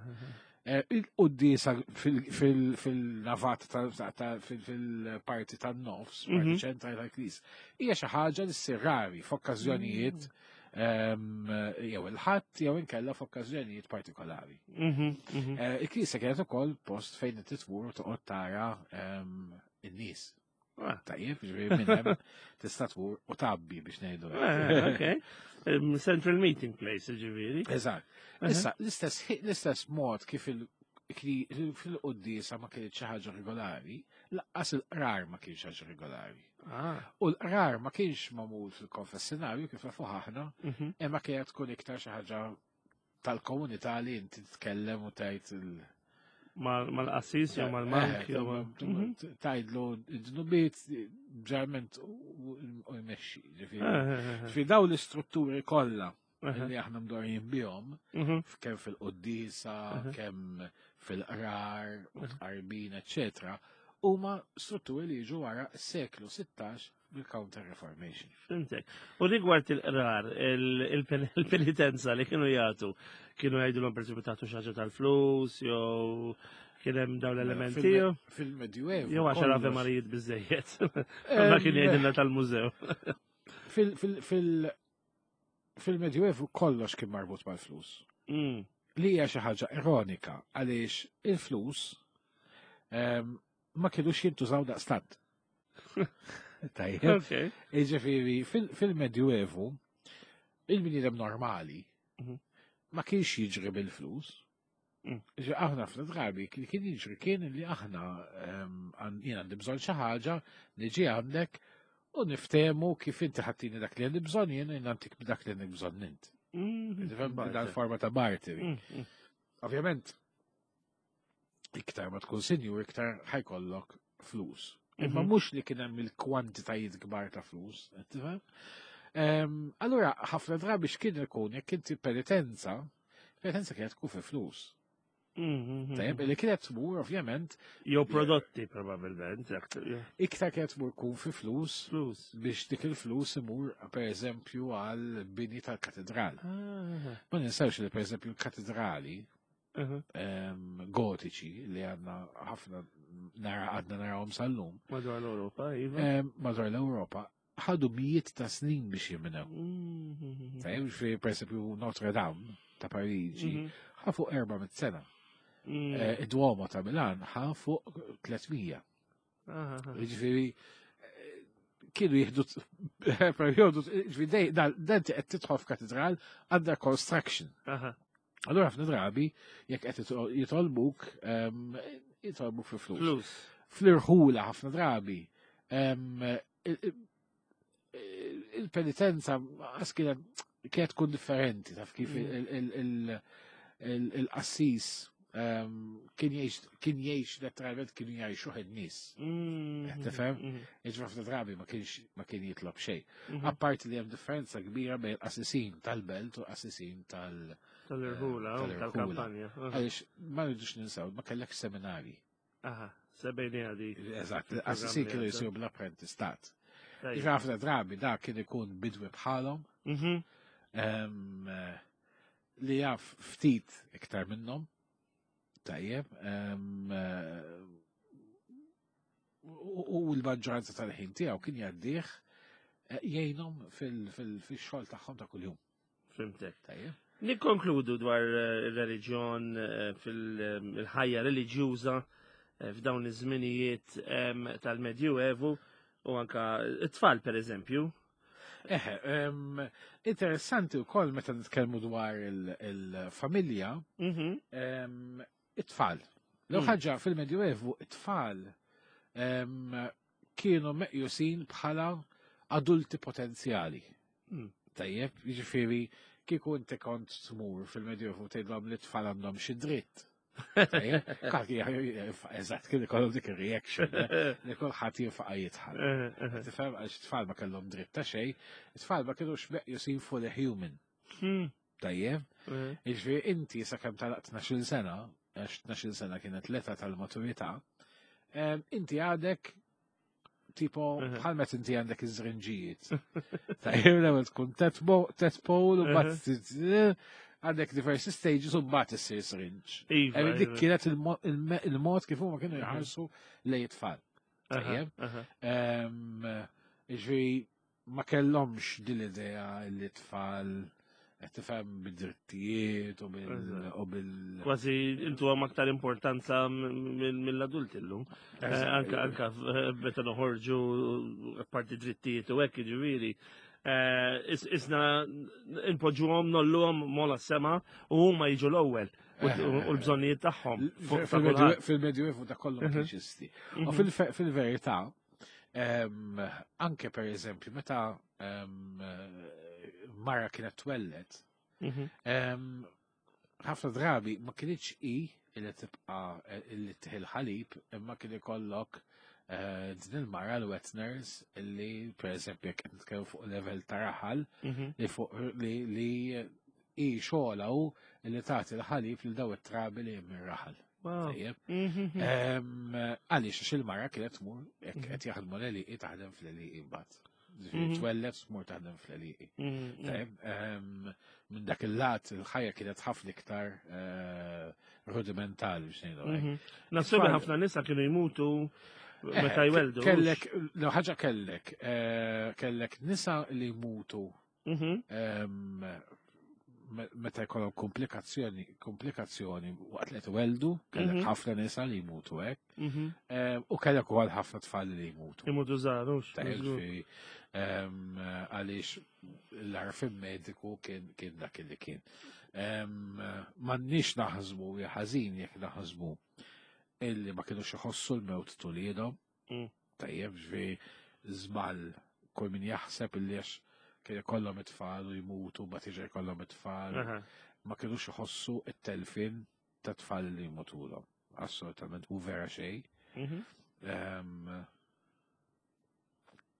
Eh, Il-quddiesa fil-navat ta' ta' fil-parti tan-nofs, parti Mhm. ċentrali tal-knisja, hija xi ħaġa li ssir rari f'okkażjonijiet ehm, jew il-Ħadd jew inkella f'okkażjonijiet partikolari. Mhm, mhm. Eh, Il-knisja kienet ukoll post fejn inti tmur u toqgħod tara ehm, in-nies. Ah. Tajjeb, ġifieri minn hemm tista' tmur u tgħabbi biex ngħidu. hekk. Eh, Ok. Um, Central meeting place, ġifieri. Eżatt. Issa, l-istess l-istess mod kif il- kli- fil-quddiesa ma kienx xi ħaġa regolari, lanqas il-qrar ma kienx ħaġa regolari. Ah. U l-qrar ma kienx magħmul fil-konfessionarju kif nafu aħna, Mhm. imma kienet tkun iktar xi ħaġa tal-komunità li inti titkellem u tgħid il- Mal- Mal-qassis jew mal-monk Eh, jew ma- Mhm. tgħidlu id-dnubiet ġeneralment u u jmexxi. Ġifieri. Eh, eh, eh, Ġifieri dawn l-istrutturi kollha eh. li aħna mdorrijin bihom, Mhm. kemm fil-quddiesa, Mhm. kemm fil-qrar, u tqarbin, eccetera, huma strutturi li jiġu wara s-seklu sittax bil-Counter Reformation. Fhimtek. U rigward il-qrar, il- il- il-penitenza li kienu jagħtu, kienu jgħidulhom per esempio tagħtu xi ħaġa tal-flus, jew kien hemm dawn l-elementi, jew Fil-Medjuevu. jew għaxar Ave kollox- Marijiet biżejjed. Ma kien jgħidilna tal-mużew. Fil- fil- fil- Fil-Medjuevu kollox kien marbut mal-flus. Mm. Li hija xi ħaġa ironika għaliex il-flus ehm, ma kienux jintużaw daqstant. Tajjeb. Ok. Jiġifieri fil- fil-Medjuevu il-bniedem normali Mhm. ma kienx jiġri bil-flus. Mm. Ġi aħna fl-drabi li kien jiġri kien li aħna ehm, għan- jien għandi bżonn xi ħaġa, niġi għandek u niftehmu kif inti ħa ttini dak li għandi bżonn jien u jien nagħtik dak li għandek bżonn int. Mm. Tifhem dan forma ta' barteri. Mm, mm. Ovvjament, iktar ma tkun sinjur, iktar ħa jkollok flus. Imma Mhm. mhux li kien hemm il-kwantitajiet kbar ta' flus, qed tifhem? Ehm, Allura, ħafna drabi x'kien ikun jekk inti penitenza, penitenza kienet tkun fi flus. Mhm. Tajjeb, li kienet tmur ovvjament Jew prodotti probabilment, iktar kienet tmur kun fi flus flus. biex dik il-flus imur per eżempju għal bini tal-katedral. Ah, Ma ninsewx li per eżempju l-katedrali aha. em, gotiċi li għandna ħafna nara għadna narawhom sal-lum Madwar l-Ewropa, iva. em, madwar l-Ewropa ħadu mijiet ta' snin biex jimnew. Mhm. Tajjeb, fi per eżempju Notre Dame ta' Pariġi Mhm. ħa fuq erba' mitt sena. Mhm. Eh, Id-Duomo ta' Milan ħa fuq tliet mija. Aha, aha. Ġifieri, eh, kienu jieħdu periodu, ġifieri, dej- dan dan qed tidħol f'katedral under construction. Aha. Allura ħafna drabi, jekk qed jitol- jitolbuk, em, jitolbuk fi flus. Flus. Fl-irħula ħafna drabi, em, il- il- il-penitenza għas kienet kienet tkun differenti, taf kif Mm. il- il- il- il- il-qassis em, kien jgħix kien jgħix letteralment kienu jgħixu in-nies. Mhm. Qed tifhem? Mhm. Jiġri ħafna drabi ma kienx ma kien jitlob xejn. Mhm. Apparti li hemm differenza kbira bejn qassisin tal-belt u qassisin tal- Tal-irħula, eh, u tal-irħula. tal-kampanja. Aha. Għaliex ma rridux ninsew, ma kellek seminari. Aha, sebejni għadi. Eżatt, Fil-programm qassisin li kienu għadda. jisiru bl-apprentistat. Tajjeb. Jiġri ħafna drabi da kien ikun bidwi bħalhom Mhm. em, eh, li jaf ftit iktar minnhom. Tajjeb. em, eh, U u l-maġġoranza tal-ħin tiegħu kien jgħaddih eh, jgħinhom fil-xogħol tagħhom ta' kuljum. Fhimtek. Tajjeb. Nikkonkludu dwar eh, ir-reliġjon eh, fil-ħajja reliġjuża eh, f'dawn iż-żminijiet em, tal-Medjuevu u anka it-tfal per eżempju. Eħe, em, interessanti wkoll meta nitkellmu dwar il- il-familja, Mhm. em, it-tfal. L Mm. ħaġa fil-Medjuevu, it-tfal em, kienu meqjusin bħala adulti potenzjali. Mm. Tajjeb, jiġifieri kieku inti kont tmur fil-Medjuevu tgħidlhom li t-tfal għandhom xi dritt. Tajjeb, kulħadd eżatt kien ikollhom dik ir-reaction eh, li kulħadd jinfaqa' jidħal. Eh, eh. Tifhem għax it-tfal ma kellhom dritt ta' xejn, it-tfal ma kienux meqjusin fully human. Hmm. Tajjeb, Eh, jiġifieri inti sakemm tagħlaq tnax-il sena, għax tnax-il sena kienet l-età tal-maturità, em, inti għadek tipo Mhm. bħal meta inti għandek iż-żrinġijiet. Tajjeb, l-ewwel tkun tadpole u mbagħad għandek diversi stages u mbagħad issir syringe. Iva, Em, Dik iva. kienet il-mo- il-me- il-mod kif huma kienu Mhm. jħarsu lejn it-tfal. Aha, Tajjeb. aha. Em, Ġifieri, ma kellhomx din l-idea li tfal qed tifhem bid-drittijiet u bil Eżatt. u bil Kważi intu għam aktar importanza m- mill-adulti llum. Eh, Anka anka eh, meta noħorġu parti drittijiet u hekk jiġifieri. Eh, is- Isna inpoġġuhom nolluhom mola sema u huma jiġu l-ewwel u u l-bżonnijiet tagħhom. fuq ta' kulħadd. Fil-Medjuevu da kollu ma Mhm. kienx jeżisti. U Mhm. fil- fil-verità, em, anke per eżempju, meta em, mara kienet twellet, Mhm. em, ħafna drabi ma kienx i illi tibqa illi tieħu l-ħalib imma kien ikollok eh, din il-mara l-wet nurse illi per eżempju jekk qed nitkellmu fuq level ta' raħal Mhm. li fuq li li i xogħla hu li tagħti l-ħalib lil daw it-trabi li hemm ir-raħal. Wow. Tajjeb. Mhm. Em, Għaliex għax il-mara kienet tmur jekk Mhm. qed jaħdmu l-għelieqi taħdem fl-għelieqi mbagħad. Ġifieri Mhm. Twellet tmur taħdem fl-għelieqi. Mhm. Tajjeb, em, minn dak il-lat il-ħajja kienet ħafna iktar eh, rudimentali biex ngħidu hekk. Mhm. Nassumi Tfal- ħafna nisa kienu jmutu Eh, meta jweldu. Kellek, l ħaġa kellek, eh, kellek nisa li jmutu Mhm. em, me- meta jkollhom komplikazzjoni, komplikazzjoni waqt li tweldu, kellek Mhm. ħafna nisa li jmutu hekk, Mhm. em, u kellek ukoll ħafna tfal li jmutu. Imutu żgħar, hux. Ta' ġifieri, em, għaliex l-għarfien mediku kien kien dak li kien. Em, M'għandniex naħsbu ja ħażin jekk naħsbu illi ma kienux iħossu l-mewt t'uliedhom. Mm. Tajjeb, ġifieri żball kull min jaħseb illi għax kien ikollhom it-tfal u jmutu, mbagħad jiġi jkollhom it-tfal, Aha. ma kienux iħossu it-telfin ta' tfal li jmutulhom. Assolutament, u vera xejn. Mhm. Em,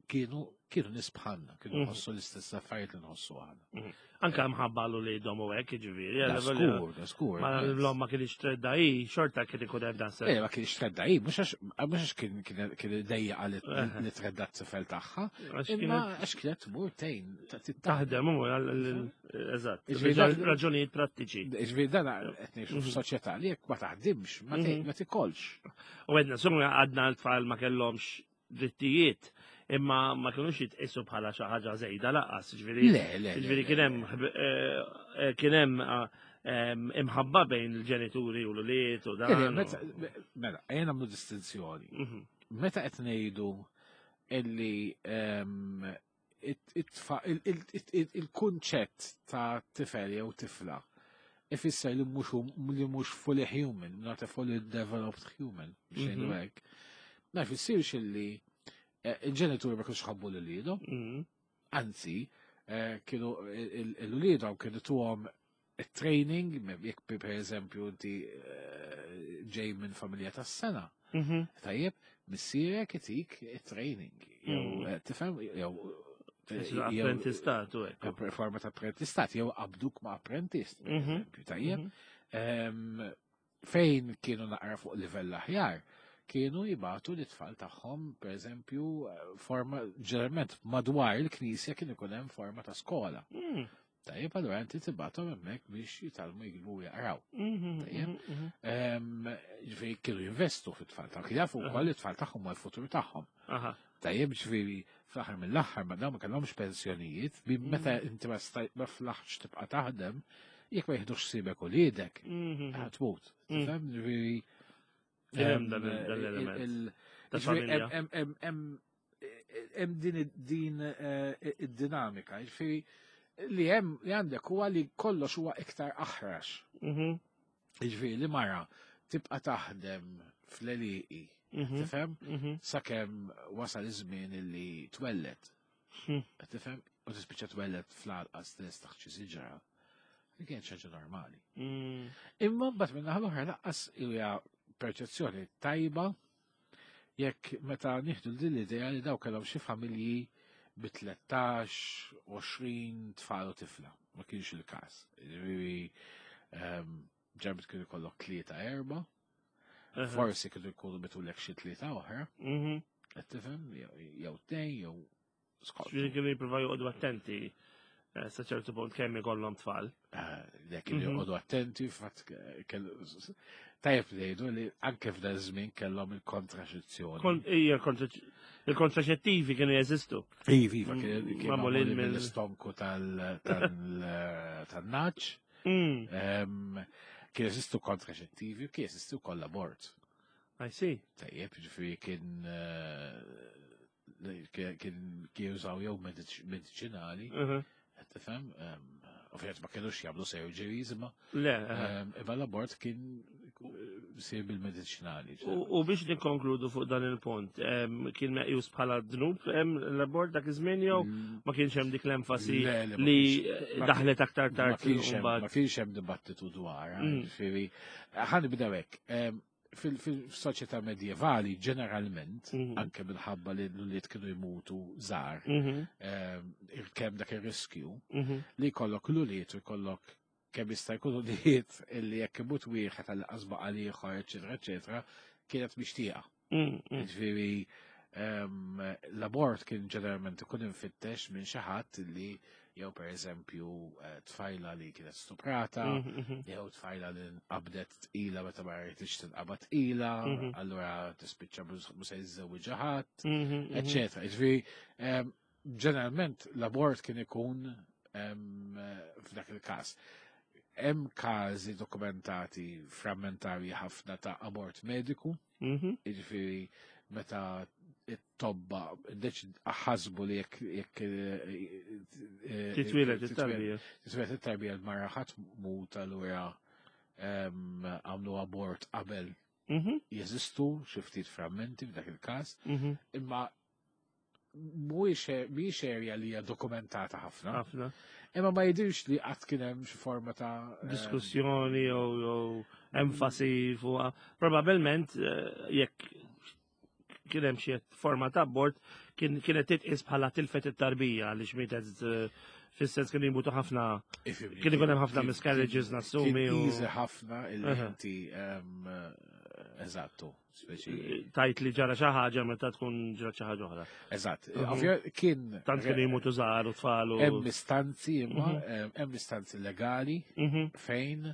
Kienu kienu nies bħalna, kienu Mhm. nħossu l-istess affarijiet li nħossu aħna. Anka mħabba l-uliedhom u hekk, ġifieri. Da skur, da skur. Ma l-omm ma kienx tredda hi, xorta kien ikun hemm dan Eh, ma kienx tredda hi, mhux għax mhux għax kien kien kien dejja li Eh. li tredda t-tifel tagħha, Għax imma kienet għax kienet tmur tgħin ta' taħdem. taħdem u għal- eżatt. Ġifieri dak- Raġunijiet prattiċi. Ġifieri dan qed ngħixu Mhm. f'soċjetà li jekk ma taħdimx, ma te- Mhm. ma tikolx. U għedna, summa għadna l-tfal ma kellhomx drittijiet, imma ma kienux jitqisu bħala xi ħaġa żejda lanqas, ġifieri. Le, le. le, Ġifieri le, kien hemm le. eh, eh, kien hemm eh, em, imħabba bejn il-ġenituri u l-ulied u Le, dan. le, u- meta- Mela, ejja nagħmlu distinzjoni. Mhm. Meta qed ngħidu illi ehm, it- it-tfa- il- il- il- il- il-kunċett ta' tifel jew tifla ifisser li mhux li mhux fully human, not a fully developed human, biex ngħidu Mhm. hekk. Ma jfissirx illi eh, il-ġenituri ma kienux ħabbu lil uliedhom, Mhm. anzi, eh, kienu l-uliedhom kienu tuhom training, jekk per eżempju inti eh, ġej minn familja tas-sengħa. Mhm. Tajjeb, missierek itik training. Jew, Mm. eh, tifhem, jew Jew Apprentistat u hekk. jew forma ta' apprentistat, jew qabduk ma' apprentist, per Mhm. eżempju, tajjeb. Mhm. Em, Fejn kienu naqra fuq livell aħjar, kienu jibagħtu l-tfal tagħhom, per eżempju, eh, forma, ġeneralment madwar il-knisja kien ikun hemm forma ta' skola. Mhm. Tajjeb, allura inti tibgħathom hemmhekk biex jitgħallmu jiktbu u jaqraw. Mhm. Tajjeb. Mhm. Em, Ġifieri kienu jinvestu fit-tfal tagħhom, kienu jafu wkoll it-tfal tagħhom u l-futur tagħhom. Aha. Tajjeb, ġifieri fl-aħħar mill-aħħar ma dawn ma kellhomx pensjonijiet, bi meta inti ma staj ma flaħx tibqa' taħdem, jekk ma jiħdux ħsiebek uliedek, Mhm. ħa tmut. Mm. Tifhem? Ġifieri Kien hemm em, dan il- dan l-element. il- Ta' ġifieri familja. hemm- hemm- hemm- hemm din din eh, id-dinamika, ġifieri li hemm li għandek huwa li kollox huwa iktar aħrax. Mhm. Ġifieri li mara tibqa' taħdem fl-għelieqi, Mhm. tifhem? Mhm. Sakemm wasal iż-żmien illi twellet. Hmm. Tifhem? U tispiċċa twellet fl-għalqa stess taħt xi siġra. Li kienet xi ħaġa normali. Mm. Imma mbagħad minn naħa l-oħra lanqas hija perċezzjoni tajba jekk meta nieħdu din l-idea li daw kellhom xi familji bi tlettax, għoxrin tfal u tifla. Ma kienx il-każ. Ġifieri ehm, ġarbit kienu jkollok tlieta erba, Aha. forsi kienu jkunu bitulek xi tlieta oħra, Mhm. qed tifhem, jew- jew tnejn, jew skont. Ġifieri kienu jippruvaw joqogħdu attenti eh, sa ċertu punt kemm ikollhom tfal. Dak kienu Mhm. joqogħdu attenti, fatt kellu tajjeb li jgħidu li anke f'dan żmien kellhom il-kontraċezzjoni. Kon- Ija, il-kontraċettivi kienu jeżistu. Iva, iva, Mm, kien kien magħmulin magħmulin mill- mill-istonku tal- tal- tan-nagħaġ. Mm. Em, Kien jeżistu kontraċettivi u kien jeżistu wkoll abort. I see. Tajjeb, ġifieri kien eh, kien kien kien jużaw jew mediċ- mediċinali, Mhm. qed tifhem, em, ovvjament ma kienux jagħmlu surgeries imma Le, aha. em, imma l-abort kien eh, sir bil-mediċinali. U u biex nikkonkludu fuq dan il-punt, em, kien meqjus bħala dnub em, l-abort dak iż-żmien jew ma kienx hemm dik l-enfasi Le, le, ma li kienx- ma daħlet aktar Ma tard kienx hemm- mbagħad. ma kienx hemm dibattitu dwar, Mm. ġifieri ħa nibdew hekk. Em, fil- Fil-soċjetà medjevali ġeneralment, Mhm. anke minħabba li l-ulied kienu jmutu żgħar, Mhm, em, kemm dak ir-riskju mhm, li jkollok l-ulied u jkollok kemm jista' jkun ulied illi jekk imut wieħed għal baqa' l-ieħor, eċetera, eċetera, kienet mixtieqa. mm, mm. Ġifieri em, l-abort kien ġeneralment ikun infittex minn xi ħadd li jew per eżempju eh, tfajla li kienet stuprata, Mhm, mhm. jew tfajla li nqabdet tqila meta ma rridx tinqabad tqila, Mhm. allura tispiċċa mhux se jiżżewġ ħadd, Mhm, mhm. eċetera. Ġifieri em, ġeneralment l-abort kien ikun em, f'dak il-każ. Hemm każi dokumentati frammentarji ħafna ta' abort mediku, Mhm, jiġifieri meta it-tobba deċ- ħasbu li jekk jekk eh, eh, Titwieled titwieled it-tarbija. titwieled it-tarbija l-mara ħa tmut allura em, għamlu abort qabel Mhm, jeżistu xi ftit frammenti f'dak il-każ, mhm. imma mhuwiex mhijiex area li hija dokumentata ħafna. Ħafna. Imma ma jidirx li qatt kien hemm xi forma ta' em, Diskussjoni jew jew enfasi fuq. Probabilment eh, jekk kien hemm xi forma ta' abort kienet titqis bħala tilfet it-tarbija għaliex mietet eh, fis-sens kien jmutu ħafna kien ikun hemm ħafna miscarriages nassumi. Kien easy ħafna illi inti eżattu. Tajt li ġara xi ħaġa meta tkun ġara xi ħaġa oħra. Eżatt. Mhm. Kien tant kien jmutu żgħar u tfal u hemm istanzi imma mhm. hemm istanzi legali mhm. fejn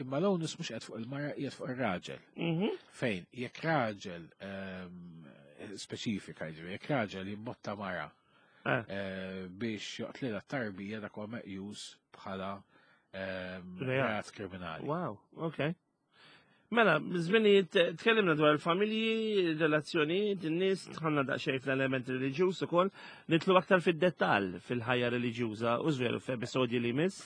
imma l-onus mhux qed fuq il-mara qiegħed fuq ir-raġel. Fejn jekk raġel speċifika jiġri, jekk raġel jimbotta mara eh. Eh, biex joqtlilha t-tarbija dak huwa meqjus bħala reat kriminali. Wow, okay. Mela, żminijiet tkellimna dwar il-familji, relazzjonijiet, in-nies, tħanna daqsxejn fl-element reliġjuż ukoll, nitlu aktar fid-dettall fil-ħajja reliġjuża u żveru f'episodji li jmiss.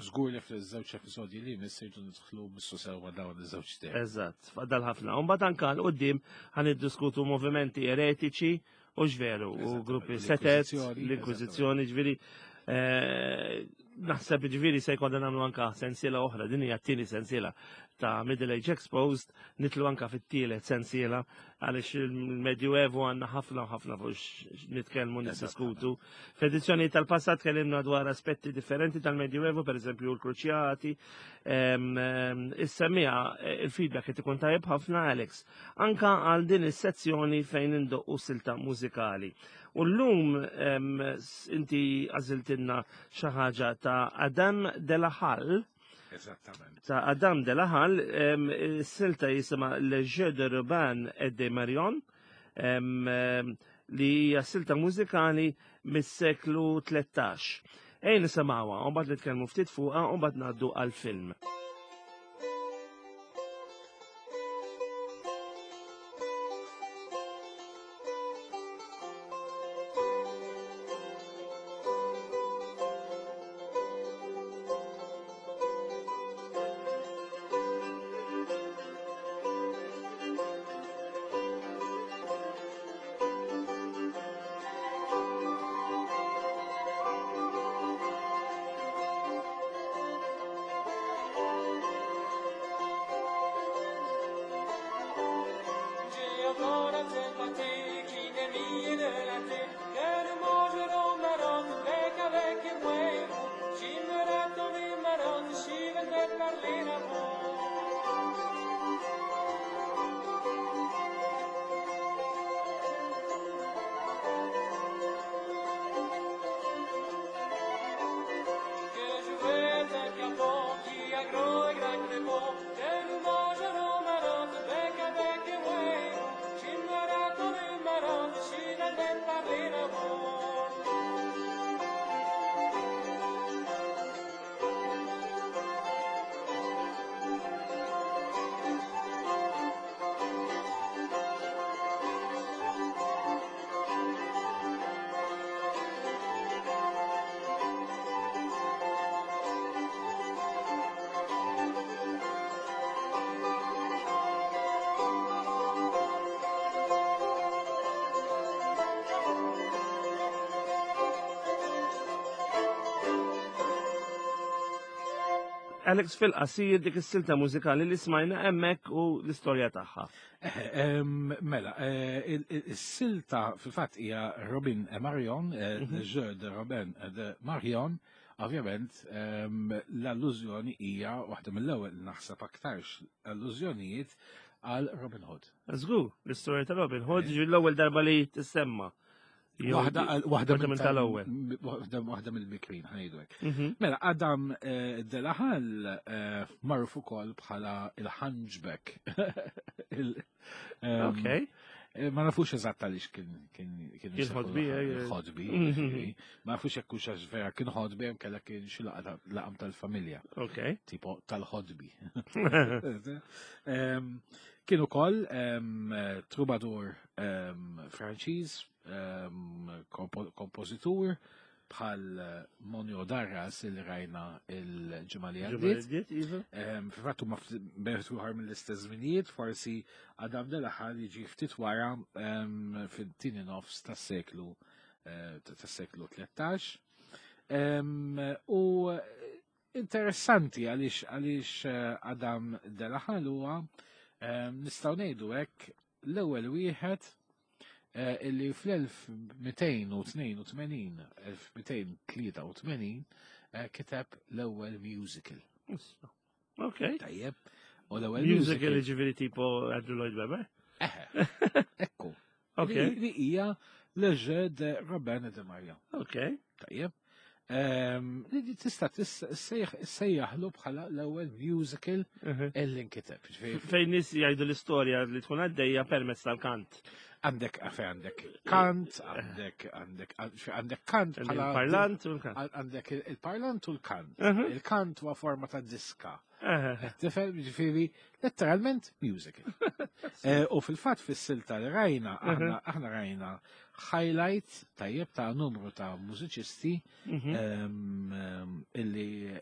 Żgur li fil-żewġ episodji li jmiss irdu nidħlu missu sewwa dawn iż-żewġ temi. Eżatt, fadal ħafna. U mbagħad anke 'l quddiem ħa niddiskutu movimenti eretiċi u x'veru u gruppi setet, l-Inkwiżizzjoni, ġifieri eh, naħseb ġifieri se jkollna nagħmlu anka sensiela oħra, din hija t-tieni sensiela ta' Middle Age Exposed, nitlu anka fit-tielet sensiela għaliex il-Medjuevu għandna ħafna u ħafna fuq nitkellmu niddiskutu. F'edizzjoni tal-passat tkellimna dwar aspetti differenti tal-Medjuevu, per eżempju l-Kruċjati. Is-semmiegħa il-feedback qed ikun tajjeb ħafna Alex, anka għal din is-sezzjoni fejn indoqqu silta mużikali. U llum inti għażiltilna xi ħaġa ta' Adam de la Halle. Eżattament. Ta' Adam de la Halle, silta jisimha Le Jeu de Robin et de Marion, li hija silta mużikali mis-seklu tlettax. Ejn nisimgħuha, u mbagħad nitkellmu ftit fuqha u mbagħad ngħaddu għall-film. Alex, fil-qasir dik is-silta mużikali li smajna hemmhekk u l-istorja tagħha. Mela, is-silta fil-fatt hija Robin e Marion, Le Jeu de Robin et de Marion. Ovvjament, l-allużjoni hija waħda mill-ewwel naħseb aktarx allużjonijiet għal Robin Hood. Żgur, l-istorja ta' Robin Hood ġi l-ewwel darba li tissemma. Waħda minn tal-ewwel. Waħda mill-bikrin ħa ngħidu hekk. Mela, Adam de la Halle magħruf ukoll bħala il-Hunchback. Ok. Ma nafux eżatt għaliex kien kien kien ħodbi, ħodbi. Ma nafux jekk hux għax vera kien ħodbi hemm kellha kien xi laqam tal-familja. Ok. Tipo tal-ħodbi. Kien ukoll troubadour Franċiż, kompożitur bħal Monio Darras il rajna il-ġimgħa li għaddiet. Iva. Fil-fatt huma bertu ħar mill-istess żminijiet, forsi Adam de la Halle jiġi ftit wara fit-tieni nofs tas-seklu eh, tas-seklu tlettax. U interessanti għaliex għaliex eh, Adam de la Halle huwa Nistgħu ngħidu hekk l-ewwel wieħed eh, illi fl-elf mitejn u tnejn u tmenin, elf mitejn tlieta u tmenin eh, kiteb l-ewwel musical. Ok. Tajjeb. U l-ewwel musical, ġifieri tipo Andrew Lloyd Webber? Eħe. Ekku. Ok. Li li hija Le Jeu de Robin et de Marion. Ok. Tajjeb. Ehm, Li di tista' ssejjaħlu bħala l-ewwel musical Mhm. illi nkiteb. Ġifieri, Fejn nies jgħidu l-istorja li tkun għaddejja permezz tal-kant. Għandek għafe għandek kant, għandek għandek għandek kant bħala Il-parlant u l-kant. Għandek il-parlant u l-kant. Mhm. Il-kant huwa forma ta' diska. Eħe. Tifhem, ġifieri, letteralment musical. Eh, U fil-fatt fis-silta li rajna, aħna aħna rajna highlight tajjeb ta' numru ta' mużiċisti Mhm. em, em, illi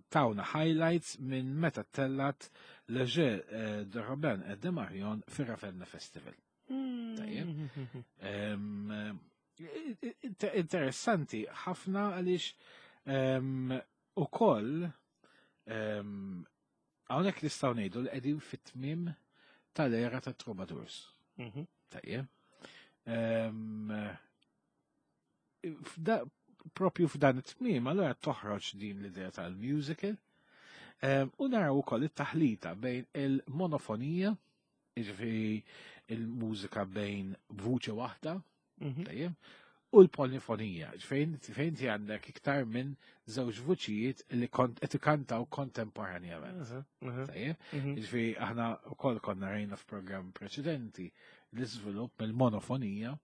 tawna highlights minn meta tellat Le Jeu eh, de Robin et de Marion fir-Ravenna Festival. Tajjeb. Em, inter- Interessanti ħafna għaliex em, ukoll em, hawnhekk nistgħu ngħidu li qegħdin fit-tmiem tal-era ta' Troubadours. Mhm. Tajjeb. Em, f'da- Propju f'dan it-tmiem, allora toħroġ din l-idea tal-musical. Em, U naraw ukoll it-taħlita bejn il-monofonija, jiġifieri il-mużika bejn vuċi waħda, Mhm. tajjeb, u l-polifonija, fejn fejn ti għandek iktar minn żewġ vuċijiet li kont qed ikantaw kontemporanjament. Aha, aha. Tajjeb, Mhm. ġifieri aħna wkoll konna rajna f'programm preċedenti l-iżvilupp mill-monofonija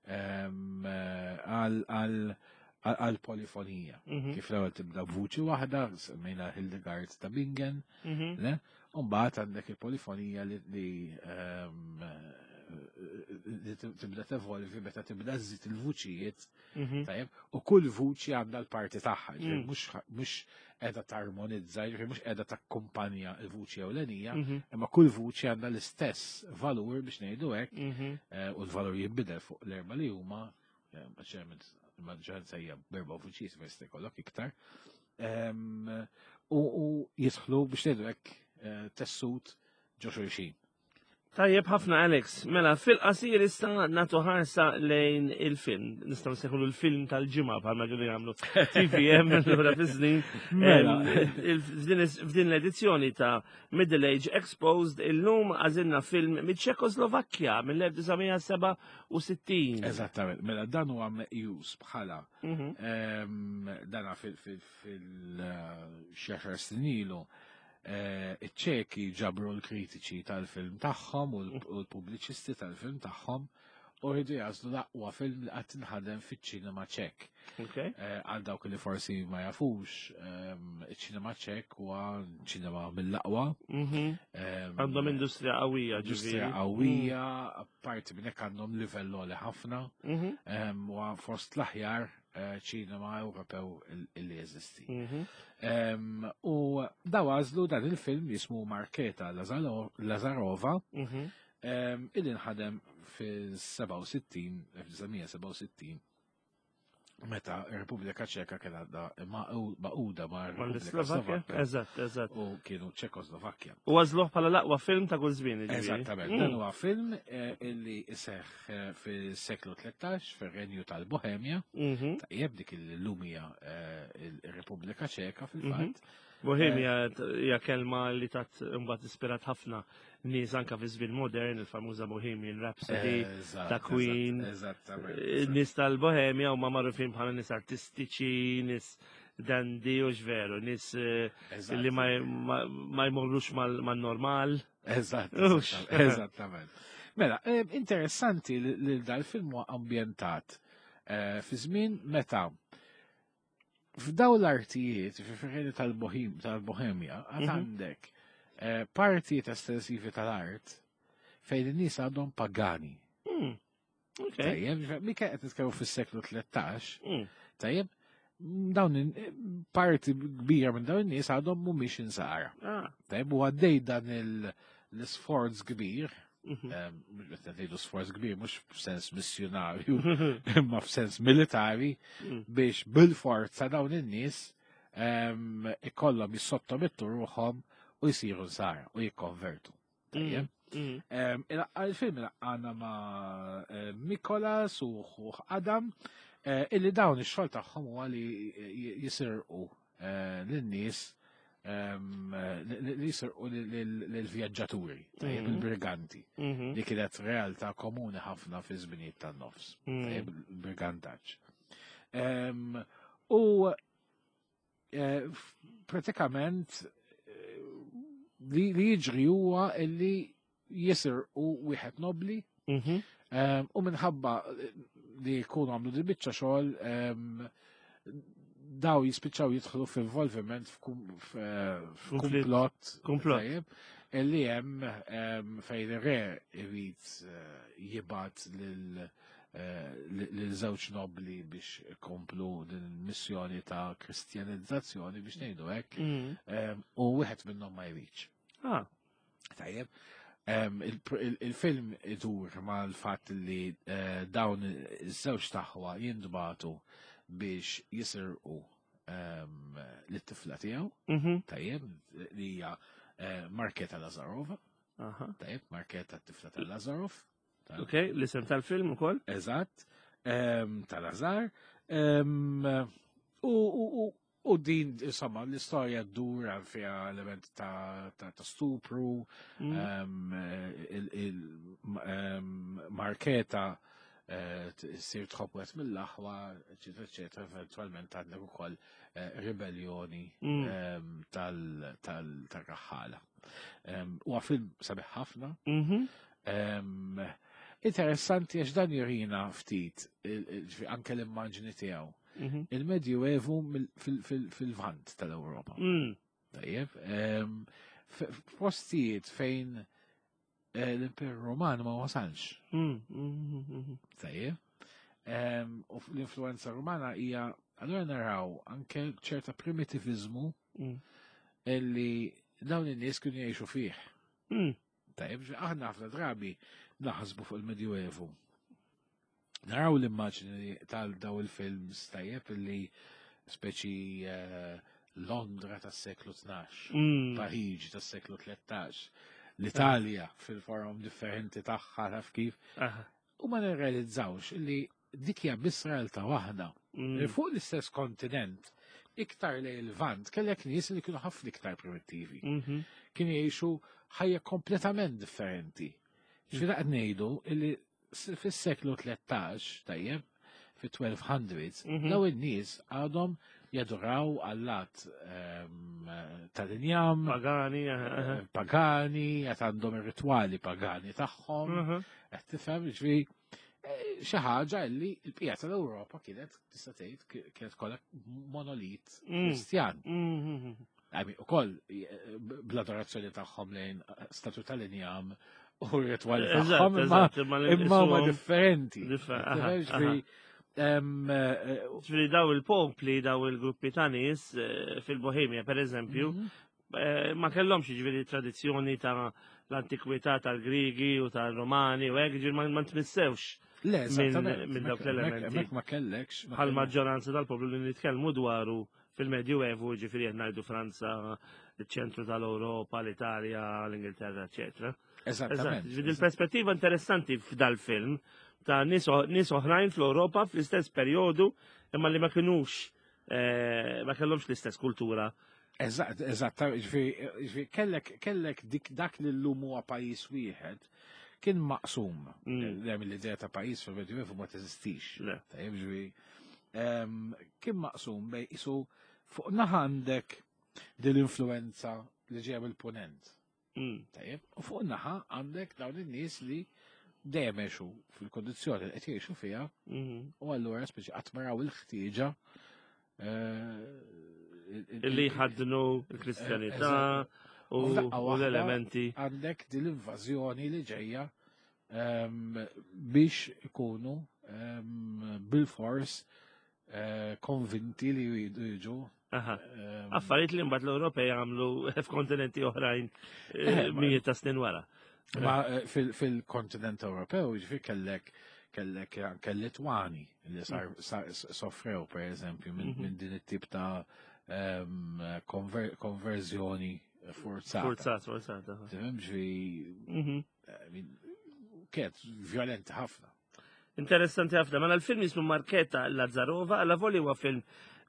em, eh, għal għal għal polifonija. Mhm. Kif l-ewwel tibda b'vuċi waħda, semmejna Hildegard ta' Bingen, Mhm. le? U mbagħad għandek il-polifonija li li ehm, li tibda tevolvi meta tibda żżid il-vuċijiet, Mhm. tajjeb, u kull vuċi għandha l-parti tagħha, ġifieri Mm. mhux mhux qiegħda tarmonizza, ġifieri mhux qiegħda takkumpanja l-vuċi ewlenija, Mhm. imma kull vuċi għandha l-istess valur biex ngħidu hekk, Mhm. eh, u l-valur jinbidel fuq l-erba li huma, eh, ċerment maġġoranza hija b'erba' vuċijiet ma jista' jkollok iktar. Em, U u jidħlu biex ngħidu hekk eh, tessut ġo xulxin. Tajjeb ħafna, Alex. Mela, fil-qasir issa natu ħarsa lejn il-film. Nistgħu nsejħulu l-film tal-ġimgħa bħalma kienu jagħmlu T V M lura fi snin. Mela. Em, il- F'din f'din l-edizzjoni ta' Middle Age Exposed illum għażilna film mill-Ċekoslovakkja mill-elf disa' mija seba' u sittin. Eżattament, mela dan huwa meqjus bħala Mhm. em, dana fil-xi snin ilu eh, iċ-Ċeki ġabru l-kritiċi tal-film tagħhom u l- u l-pubbliċisti tal-film tagħhom u rridu jagħżlu l-aqwa film li qatt inħadem fiċ-ċinema Ċek. Ok. Eh, Għal dawk li forsi ma jafux, em, iċ-ċinema Ċek huwa ċinema mill-aqwa. Mhm. em, Għandhom industrija qawwija, industrija ġifieri. qawwija, apparti minn hekk għandhom livell għoli ħafna, Mhm. em, u fost l-aħjar eh, ċinema Ewropew il- illi jeżisti. Mhm. Em, U daw għażlu dan il-film jismu Marketa Lazaro- Lazarova, Mhm. em, illi nħadem fil-seba' u sittin, elf disa' mija seba' u sittin, meta ir-Repubblika Ċeka kien għadha magħquda ma' Repubblika Mal-Slovakkja? Slovakka Eżatt, eżatt. u kienu Ċekoslovakkja. U għażluh bħala l-aqwa film ta' kull żmien, ġifieri. Eżattament, Mm. dan huwa film eh, illi iseħħ eh, fis-seklu tlettax fir-Renju tal-Bohemja, Mhm. tajjeb, dik il-lumija il-Repubblika Ċeka fil-fatt. Bohemia hija kelma li tat imbagħad ispirat ħafna nies anka fi żmien modern, il-famuża Bohemian Rhapsody Eżatt, ta' Queen. eżatt, Eżattament. Eh, Nies tal-Bohemia huma magħrufin bħala nies artistiċi, nies dandy u veru, nies eh, eżatt. li ma, ma, ma jmorrux mal- man-normal. Eżatt, Ux. eżatt, eżattament. Mela, eh, interessanti li li dal-film huwa ambjentat eh, fi żmien meta f'daw l-artijiet, fi tal-Bohem tal-Bohemja, għad Mhm. għandek eh, partijiet estensivi tal-art fejn in-nies għadhom pagani. Mm. Ok. Tajjeb, mika qed nitkellmu fis-seklu tlettax, Mm. tajjeb, dawn in- parti kbira minn dawn in-nies għadhom mhumiex insara. Ah. Tajjeb, u għaddej dan il- l-isforz kbir, Mhm. em, mhux qed ngħidu sforz kbir mhux f'sens missjonarju, imma f'sens militari Mm. biex bil-forza dawn in-nies em, ikollhom jissottomettu ruħhom u jsiru nsara u jikkonvertu. Tajjeb. Mm. Em, il- Il-film għandna ma' eh, Mikolas u ħuh Adam, eh, illi dawn ix-xogħol tagħhom huwa li j- jisirqu eh, lin-nies em, li li jisirqu lill-vjaġġaturi, tajjeb, Mhm. il-briganti, Mhm. li kienet realtà komuni ħafna fi żminijiet tan-nofs, Mm. tajjeb, il-brigantaġġ. Em, U eh, f- pratikament eh, li li jiġri huwa illi jisirqu wieħed nobli Mhm. em, u minħabba li jkunu għamlu di biċċa xogħol em, daw jispiċċaw jidħlu f'involviment f'kum- f- Konflitt. f'kumplott Komplott. tajjeb, illi hemm em, fejn ir-re irid eh, jibgħat lil eh, lil żewġ nobli biex ikomplu din il-missjoni ta' kristjanizzazzjoni biex ngħidu hekk Mm. em, u wieħed minnhom ma jridx. Ah. Tajjeb. Em, il- il- Il-film idur mal-fatt li eh, dawn iż-żewġ aħwa jintbagħtu biex jisirqu em, lit-tifla tiegħu, Mhm. tajjeb, li hija eh, Marketa Lazarova, Aha. tajjeb, Marketa t-tifla ta' Lazarov. Ta- Ok, l-isem tal-film ukoll? Eżatt, em, ta' Lazar. Em, U u- u- u din, insomma, l-istorja ddur għal fiha element ta' ta' ta' stupru, Mm. em, il- il- em, Marketa eh, sir tħobb wieħed mill-aħwa, eċetera, eċetera, eventualment għandek ukoll eh, ribellioni Mm. em, tal- tal- tal-raħħala. Em, Huwa film sabiħ ħafna. Mhm. Em, Interessanti għax dan jurina ftit, il- il- ġifieri anke l-immaġni tiegħu. Mhm. Il-Medjuevu mill- fil- fil- fil-Lvant tal-Ewropa. Mm. Tajjeb, em, f- f'postijiet fejn eh, l-Imperu Roman ma wasalx. Mm. Mhm. Mhm. Tajjeb. Em, U l-influenza romana hija allura naraw anke ċerta primitivizmu Mm. illi dawn in-nies kienu jgħixu fih. Mm. Tajjeb, ġifieri aħna ħafna drabi naħsbu fuq il-Medjuevu. Naraw l-immaġni tal daw il-films tajjeb illi speċi eh, Londra tas-seklu tnax, Mm. Pariġi tas-seklu tlettax, l-Italja fil-forum differenti tagħha taf kif. Aha. U ma nirrealizzawx illi dik hija biss realtà waħda. Mm. Fuq l-istess kontinent, iktar lejn il-Lvant, kellek nies li kienu ħafna iktar primittivi. Mhm. Kienu jgħixu ħajja kompletament differenti. Ġifieri qed ngħidu illi s- fis-seklu tlettax, tajjeb, fit-twelve hundreds, Mhm. daw in-nies għadhom jaduraw allat ehm, tal-injam, Pagani, aha, aha. eh, pagani, qed għandhom ir-ritwali pagani tagħhom, Mhm. qed tifhem ġifieri eh, xi ħaġa li l-bqija tal-Ewropa kienet tista' tgħid ki- kienet kollha monolit Mm. Kristjan. Mhm. I mean, ukoll eh, bl-adorazzjoni tagħhom lejn statu tal-injam u r-ritwali Eżatt, tagħhom, imma eżatt, imma imma huma isuhom- differenti. Differ- Qed aha, tifhem, ġifieri, em, eh, Ġifieri daw il-popli, daw il-gruppi ta' nies eh, fil-Bohemia, per eżempju, mhm. eh, ma kellhomx ġifieri tradizzjoni ta' l-antikwità tal-Grigi u tal-Romani u hekk, ġifieri ma ma tmissewx Le, minn- eżattament. minn dawk Hemmhekk- l-elementi. Hemmhekk ma kellekx. Ma bħal kellekx. maġġoranza tal-poplu li nitkellmu dwaru fil-Medjuevu, ġifieri qed ngħidu Franza, il-ċentru tal-Ewropa, l-Italja, l-Ingilterra, eċetera. Eżatt, Eżattament. ġifieri il-perspettiva interessanti f'dal-film ta' nies o- nies oħrajn fl-Ewropa fl-istess perjodu imma li ma kinux eh, ma kellhomx l-istess kultura. Eżatt, eżatt, ġifieri, ġifieri, kellek, kellek dik dak li llum huwa pajjiż wieħed kien maqsum. Mm. Hemm l-idea ta' pajjiż fil-Medjuevu ma teżistix. Le. Tajjeb, ġifieri, em, kien maqsum bej isu fuq naħa għandek din l-influenza li ġejja mill-punent. Mm. Tajjeb, u fuq naħa għandek dawn in-nies li dejjem għexu fil-kondizzjoni li qed jgħixu fiha Mhm. u allura speċi qatt ma raw il-ħtieġa eh, il- il- Illi jħaddnu l-Kristjanità Eżatt. u U f'daqqa u waħda l-elementi. għandek din l-invażjoni li ġejja em, biex ikunu em, bil-fors eh, konvinti li jridu jiġu. Aha. em, Affarijiet li mbagħad l-Ewropej għamlu f'kontinenti oħrajn eh, Eh, ma- mijiet ta' snin wara. Ma eh, fil- fil-kontinent Ewropew, ġifieri kellek kellek anke Litwani li sar, sar, soffrew per eżempju minn Mhm. min din it-tip ta' em, konver, konverżjoni forzata. Forzat, forzata. Tifhem ġifieri Mhm. I mean, kienet violenta ħafna. Interessanti ħafna. Mela l-film jismu Marketa Lazarova, alla voli huwa film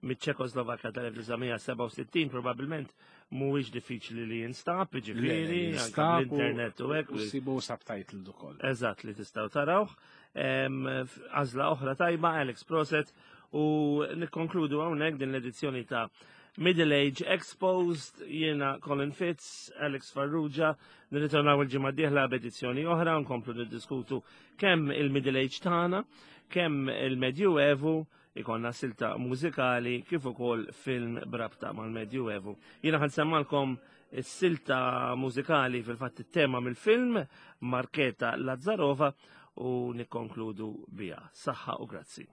mit-Ċekoslovakja tal-elf disa' mija sebgħa u sittin, probabilment mhuwiex diffiċli li jinstab, ġifieri, anke bl-internet u hekk. U sibu subtitle ukoll. Eżatt, li tistgħu tarawh. Em, f- Għażla oħra tajba, Alex, proset, u nikkonkludu hawnhekk din l-edizzjoni ta' Middle Age Exposed, jiena Colin Fitz, Alex Farrugia, nirritornaw il-ġimgħa d-dieħla b'edizzjoni oħra, nkomplu niddiskutu kemm il-Middle Age tagħna, kemm il-Medjuevu, ikonna silta mużikali kif ukoll film b'rabta mal-Medjuevu. Jiena ħa nsemmalkom is-silta mużikali, fil-fatt it-tema mill-film Marketa Lazarova, u nikkonkludu biha. Saħħa u grazzi.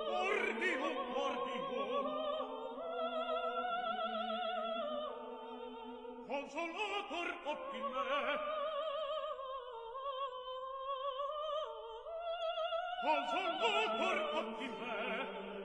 Ordinum, ordinum. Consolator optime. Consolator optime.